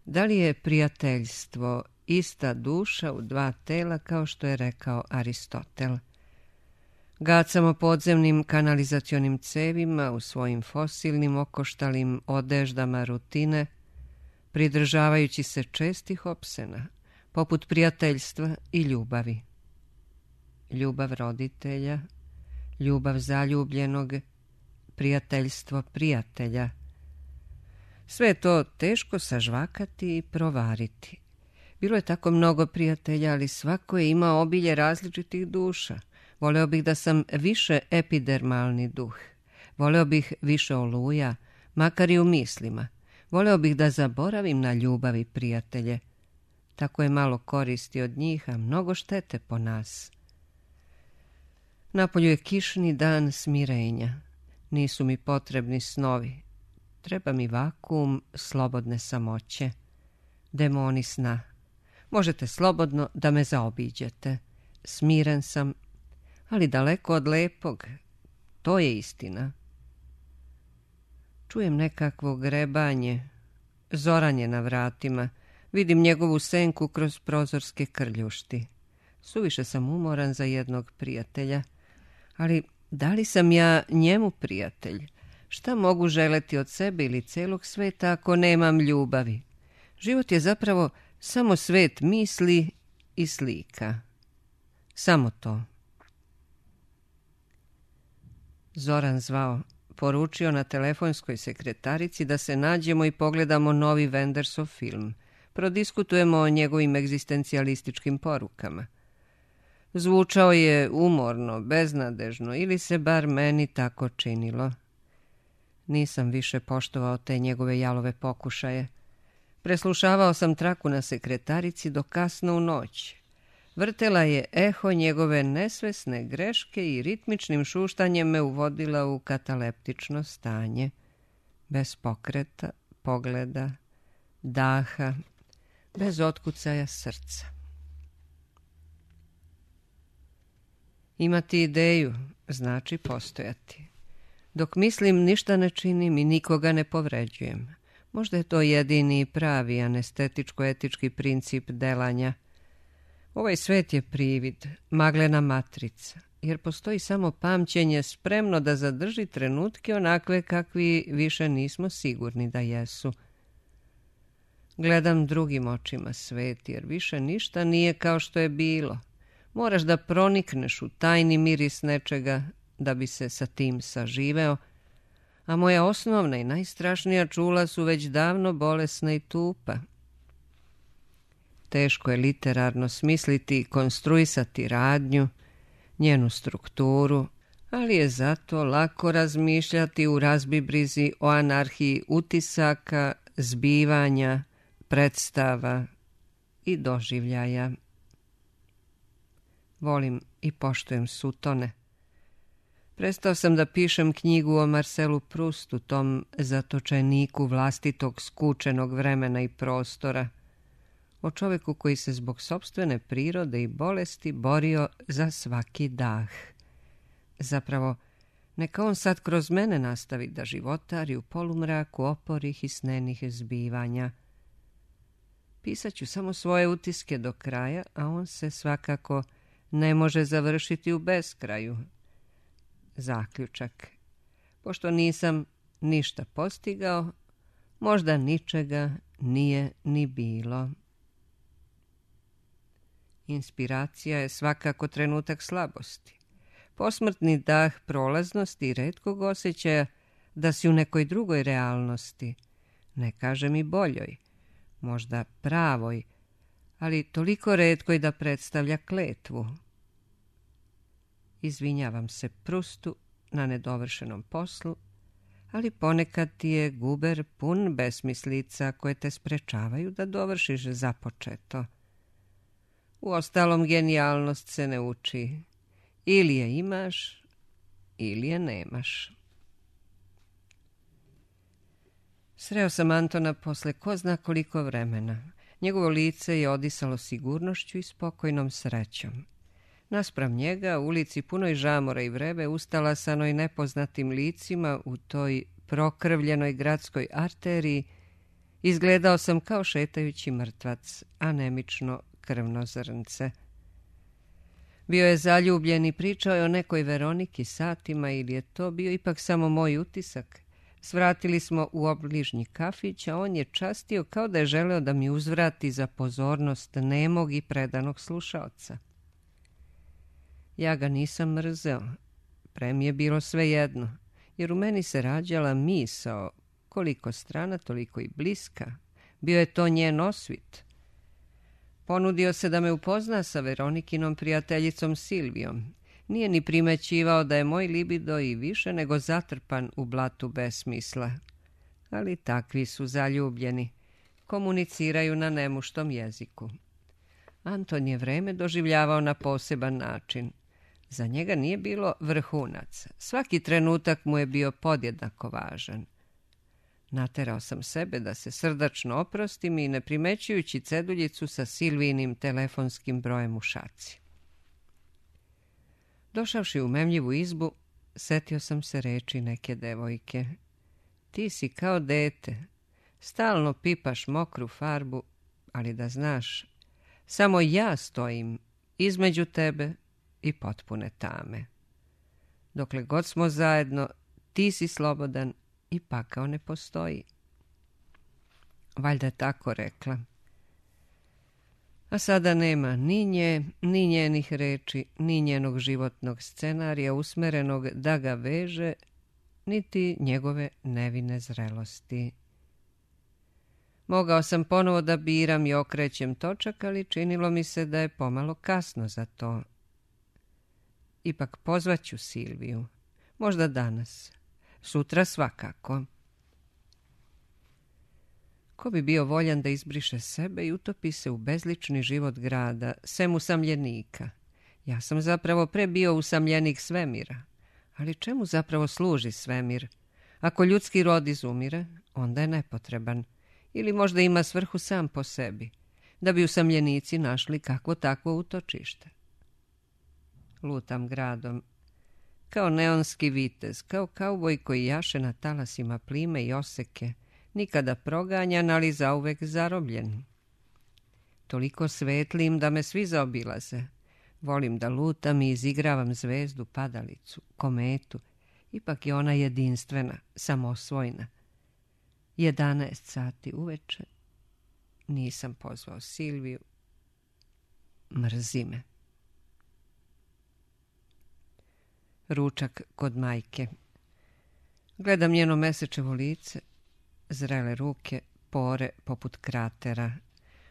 Da li je prijateljstvo ista duša u dva tela, kao što je rekao Aristotel? Gacamo podzemnim kanalizacionim cevima u svojim fosilnim okoštalim odeždama rutine, pridržavajući se čestih opsena, poput prijateljstva i ljubavi. Ljubav roditelja, ljubav zaljubljenog, prijateljstvo prijatelja. Sve je to teško sažvakati i provariti. Bilo je tako mnogo prijatelja, ali svako je imao obilje različitih duša. Voleo bih da sam više epidermalni duh. Voleo bih više oluja, makar i u mislima. Voleo bih da zaboravim na ljubav i prijatelje. Tako je malo koristi od njih, a mnogo štete po nas. Napolju je kišni dan smirenja. Nisu mi potrebni snovi. Treba mi vakuum slobodne samoće. Demoni sna. Možete slobodno da me zaobiđete. Smiren sam, ali daleko od lepog. To je istina. Čujem nekakvo grebanje. Zoran je na vratima. Vidim njegovu senku kroz prozorske krljušti. Suviše sam umoran za jednog prijatelja. Ali da li sam ja njemu prijatelj? Šta mogu želeti od sebe ili celog sveta ako nemam ljubavi? Život je zapravo samo svet misli i slika. Samo to. Zoran zvao, poručio na telefonskoj sekretarici da se nađemo i pogledamo novi Wendersov film. Prodiskutujemo o njegovim egzistencijalističkim porukama. Zvučao je umorno, beznadežno, ili se bar meni tako činilo. Nisam više poštovao te njegove jalove pokušaje. Preslušavao sam traku na sekretarici do kasno u noć. Vrtela je eho njegove nesvesne greške i ritmičnim šuštanjem me uvodila u kataleptično stanje. Bez pokreta, pogleda, daha, bez otkucaja srca. Imati ideju znači postojati. Dok mislim, ništa ne činim i nikoga ne povređujem. Možda je to jedini i pravi anestetičko-etički princip delanja. Ovaj svet je privid, maglena matrica, jer postoji samo pamćenje spremno da zadrži trenutke onakve kakvi više nismo sigurni da jesu. Gledam drugim očima svet, jer više ništa nije kao što je bilo. Moraš da pronikneš u tajni miris nečega da bi se sa tim saživeo, a moja osnovna i najstrašnija čula su već davno bolesna i tupa. Teško je literarno smisliti i konstruisati radnju, njenu strukturu, ali je zato lako razmišljati u razbibrizi o anarhiji utisaka, zbivanja, predstava i doživljaja. Volim i poštujem Sutone. Prestao sam da pišem knjigu o Marcelu Prustu, tom zatočeniku vlastitog skučenog vremena i prostora, o čoveku koji se zbog sopstvene prirode i bolesti borio za svaki dah. Zapravo, neka on sad kroz mene nastavi da životari u polumraku oporih i snenih zbivanja. Pisat ću samo svoje utiske do kraja, a on se svakako ne može završiti u beskraju. Zaključak. Pošto nisam ništa postigao, možda ničega nije ni bilo. Inspiracija je svakako trenutak slabosti. Posmrtni dah prolaznosti i retkog osjećaja da si u nekoj drugoj realnosti, ne kažem i boljoj, možda pravoj, ali toliko retkoj da predstavlja kletvu. Izvinjavam se Prustu na nedovršenom poslu, ali ponekad ti je guber pun besmislica koje te sprečavaju da dovršiš započeto. Uostalom, genijalnost se ne uči. Ili je imaš, ili je nemaš. Sreo sam Antona posle ko zna koliko vremena. Njegovo lice je odisalo sigurnošću i spokojnom srećom. Naspram njega, u ulici punoj žamora i vrebe, ustalasanoj nepoznatim licima u toj prokrvljenoj gradskoj arteriji, izgledao sam kao šetajući mrtvac, anemično krvno zrnce. Bio je zaljubljen i pričao je o nekoj Veroniki satima, ili je to bio ipak samo moj utisak. Svratili smo u obližnji kafić, a on je častio kao da je želeo da mi uzvrati za pozornost nemog i predanog slušaoca. Ja ga nisam mrzeo, pre mi je bilo svejedno, jer u meni se rađala misao, koliko strana, toliko i bliska. Bio je to njen osvit. Ponudio se da me upozna sa Veronikinom prijateljicom Silvijom. Nije ni primećivao da je moj libido i više nego zatrpan u blatu besmisla. Ali takvi su zaljubljeni. Komuniciraju na nemuštom jeziku. Anton je vreme doživljavao na poseban način. Za njega nije bilo vrhunac. Svaki trenutak mu je bio podjednako važan. Naterao sam sebe da se srdačno oprostim i ne primećujući ceduljicu sa Silvijinim telefonskim brojem u šaci. Došavši u memljivu izbu, setio sam se reči neke devojke. Ti si kao dete, stalno pipaš mokru farbu, ali da znaš, samo ja stojim između tebe i potpune tame. Dokle god smo zajedno, ti si slobodan i pakao ne postoji. Valjda tako rekla. A sada nema ni nje, ni njenih reči, ni njenog životnog scenarija usmerenog da ga veže, niti njegove nevine zrelosti. Mogao sam ponovo da biram i okrećem točak, ali činilo mi se da je pomalo kasno za to. Ipak pozvaću Silviju. Možda danas. Sutra svakako. Ko bi bio voljan da izbriše sebe i utopi se u bezlični život grada, sem usamljenika? Ja sam zapravo pre bio usamljenik svemira. Ali čemu zapravo služi svemir? Ako ljudski rod izumire, onda je nepotreban. Ili možda ima svrhu sam po sebi, da bi usamljenici našli kakvo takvo utočište. Lutam gradom, kao neonski vitez, kao kauboj koji jaše na talasima plime i oseke, nikada proganjan, ali zauvek zarobljen. Toliko svetlim da me svi zaobilaze. Volim da lutam i izigravam zvezdu, padalicu, kometu. Ipak je ona jedinstvena, samosvojna. Jedanaest sati uveče. Nisam pozvao Silviju. Mrzi me. Ručak kod majke. Gledam njeno mesečevo lice, zrele ruke, pore poput kratera.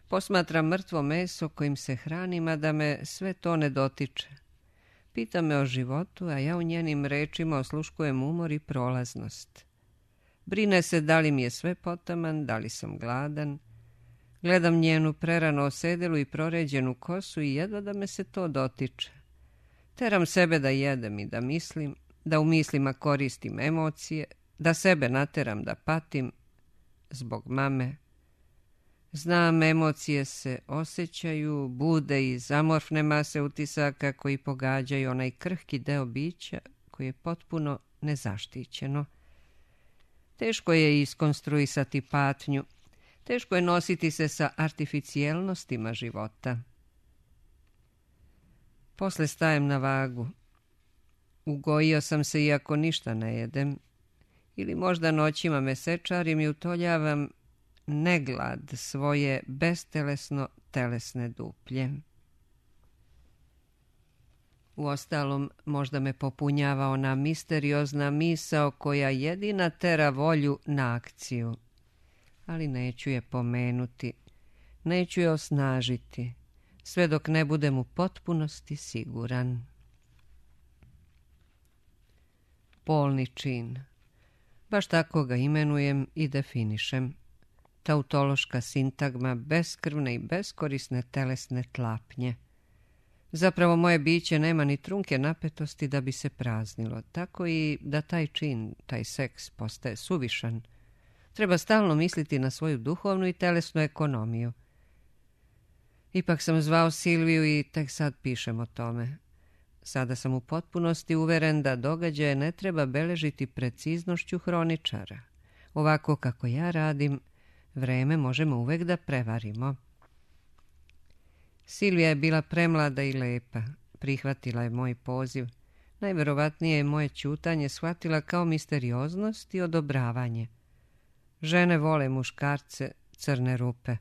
Posmatram mrtvo meso kojim se hranim, a da me sve to ne dotiče. Pita me o životu, a ja u njenim rečima osluškujem umor i prolaznost. Brine se da li mi je sve potaman, da li sam gladan. Gledam njenu prerano osedelu i proređenu kosu i jedva da me se to dotiče. Teram sebe da jedem i da mislim, da u mislima koristim emocije, da sebe nateram da patim zbog mame. Znam, emocije se osjećaju, bude iz amorfne mase utisaka koji pogađaju onaj krhki deo bića koji je potpuno nezaštićeno. Teško je iskonstruisati patnju, teško je nositi se sa artificijelnostima života. Posle stajem na vagu. Ugojio sam se iako ništa ne jedem. Ili možda noćima mesečarim i utoljavam neglad svoje bestelesno telesne duplje. Uostalom, možda me popunjava ona misteriozna misao koja jedina tera volju na akciju. Ali neću je pomenuti, neću je osnažiti, sve dok ne budem u potpunosti siguran. polni čin. Baš tako ga imenujem i definišem. Tautološka sintagma beskrvne i beskorisne telesne tlapnje. Zapravo moje biće nema ni trunke napetosti da bi se praznilo, tako i da taj čin, taj seks postaje suvišan. Treba stalno misliti na svoju duhovnu i telesnu ekonomiju. Ipak sam zvao Silviju i tek sad pišem o tome. Sada sam u potpunosti uveren da događaje ne treba beležiti preciznošću hroničara. Ovako kako ja radim, vreme možemo uvek da prevarimo. Silvija je bila premlada i lepa. Prihvatila je moj poziv. Najverovatnije je moje ćutanje shvatila kao misterioznost i odobravanje. Žene vole muškarce, crne rupe.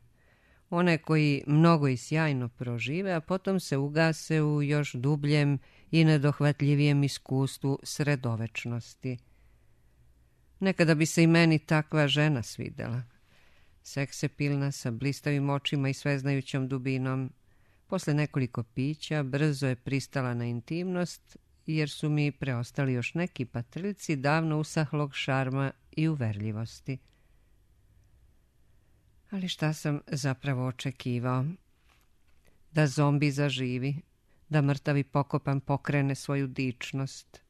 One koji mnogo i sjajno prožive, a potom se ugase u još dubljem i nedohvatljivijem iskustvu sredovečnosti. Nekada bi se i meni takva žena svidela. Seksepilna, sa blistavim očima i sveznajućom dubinom. Posle nekoliko pića brzo je pristala na intimnost, jer su mi preostali još neki patrljci davno usahlog šarma i uverljivosti. Ali šta sam zapravo očekivao? Da zombi zaživi, da mrtavi pokopan pokrene svoju dičnost.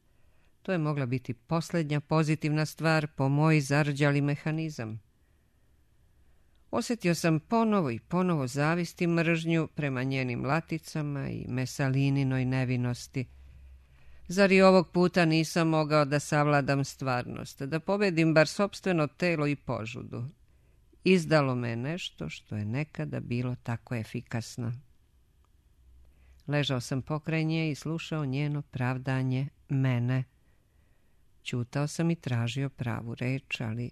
To je mogla biti posljednja pozitivna stvar po moj zarđali mehanizam. Osjetio sam ponovo i ponovo zavist i mržnju prema njenim laticama i Mesalininoj nevinosti. Zar i ovog puta nisam mogao da savladam stvarnost, da pobedim bar sopstveno telo i požudu? Izdalo me nešto što je nekada bilo tako efikasno. Ležao sam pokraj nje i slušao njeno pravdanje mene. Ćutao sam i tražio pravu reč, ali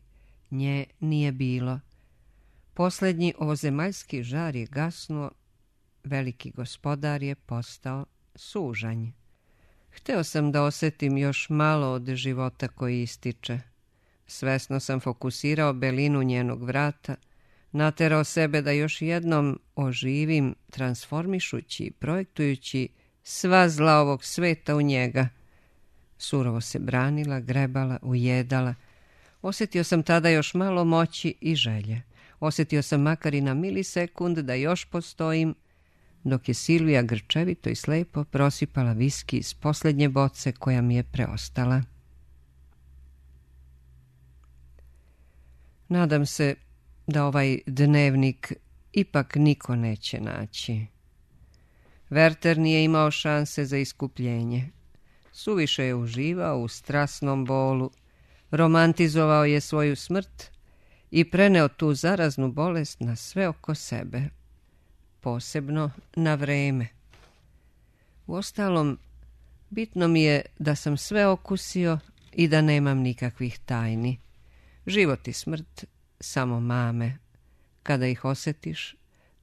nje nije bilo. Posljednji ovozemaljski žar je gasnuo, veliki gospodar je postao sužanj. Hteo sam da osjetim još malo od života koji ističe. Svesno sam fokusirao belinu njenog vrata, naterao sebe da još jednom oživim, transformišući i projektujući sva zla ovog sveta u njega. Surovo se branila, grebala, ujedala. Osjetio sam tada još malo moći i želje. Osjetio sam makar i na milisekund da još postojim, dok je Silvija grčevito i slepo prosipala viski iz posljednje boce koja mi je preostala. Nadam se da ovaj dnevnik ipak niko neće naći. Werther nije imao šanse za iskupljenje. Suviše je uživao u strasnom bolu, romantizovao je svoju smrt i preneo tu zaraznu bolest na sve oko sebe, posebno na vreme. Uostalom, bitno mi je da sam sve okusio i da nemam nikakvih tajni. Život i smrt samo mame. Kada ih osjetiš,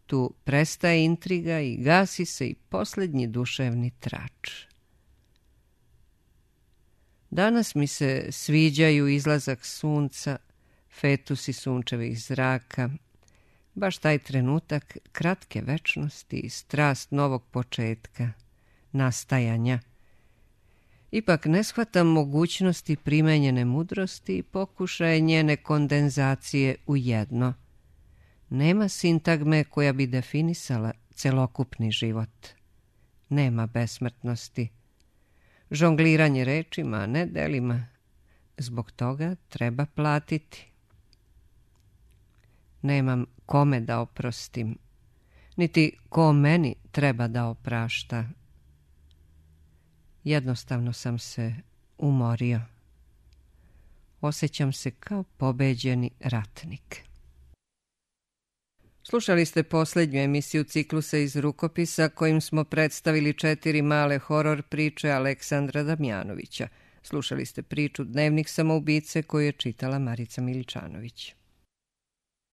tu prestaje intriga i gasi se i posljednji duševni trač. Danas mi se sviđaju izlazak sunca, fetusi sunčevih zraka, baš taj trenutak kratke večnosti i strast novog početka, nastajanja. Ipak ne shvatam mogućnosti primenjene mudrosti i pokušaje njene kondenzacije u jedno. Nema sintagme koja bi definisala celokupni život. Nema besmrtnosti. Žongliranje rečima, a ne delima. Zbog toga treba platiti. Nemam kome da oprostim, niti ko meni treba da oprašta. Jednostavno sam se umorio. Osjećam se kao pobeđeni ratnik. Slušali ste posljednju emisiju ciklusa iz rukopisa kojim smo predstavili četiri male horor priče Aleksandra Damjanovića. Slušali ste priču Dnevnik samoubice koju je čitala Marica Miličanović.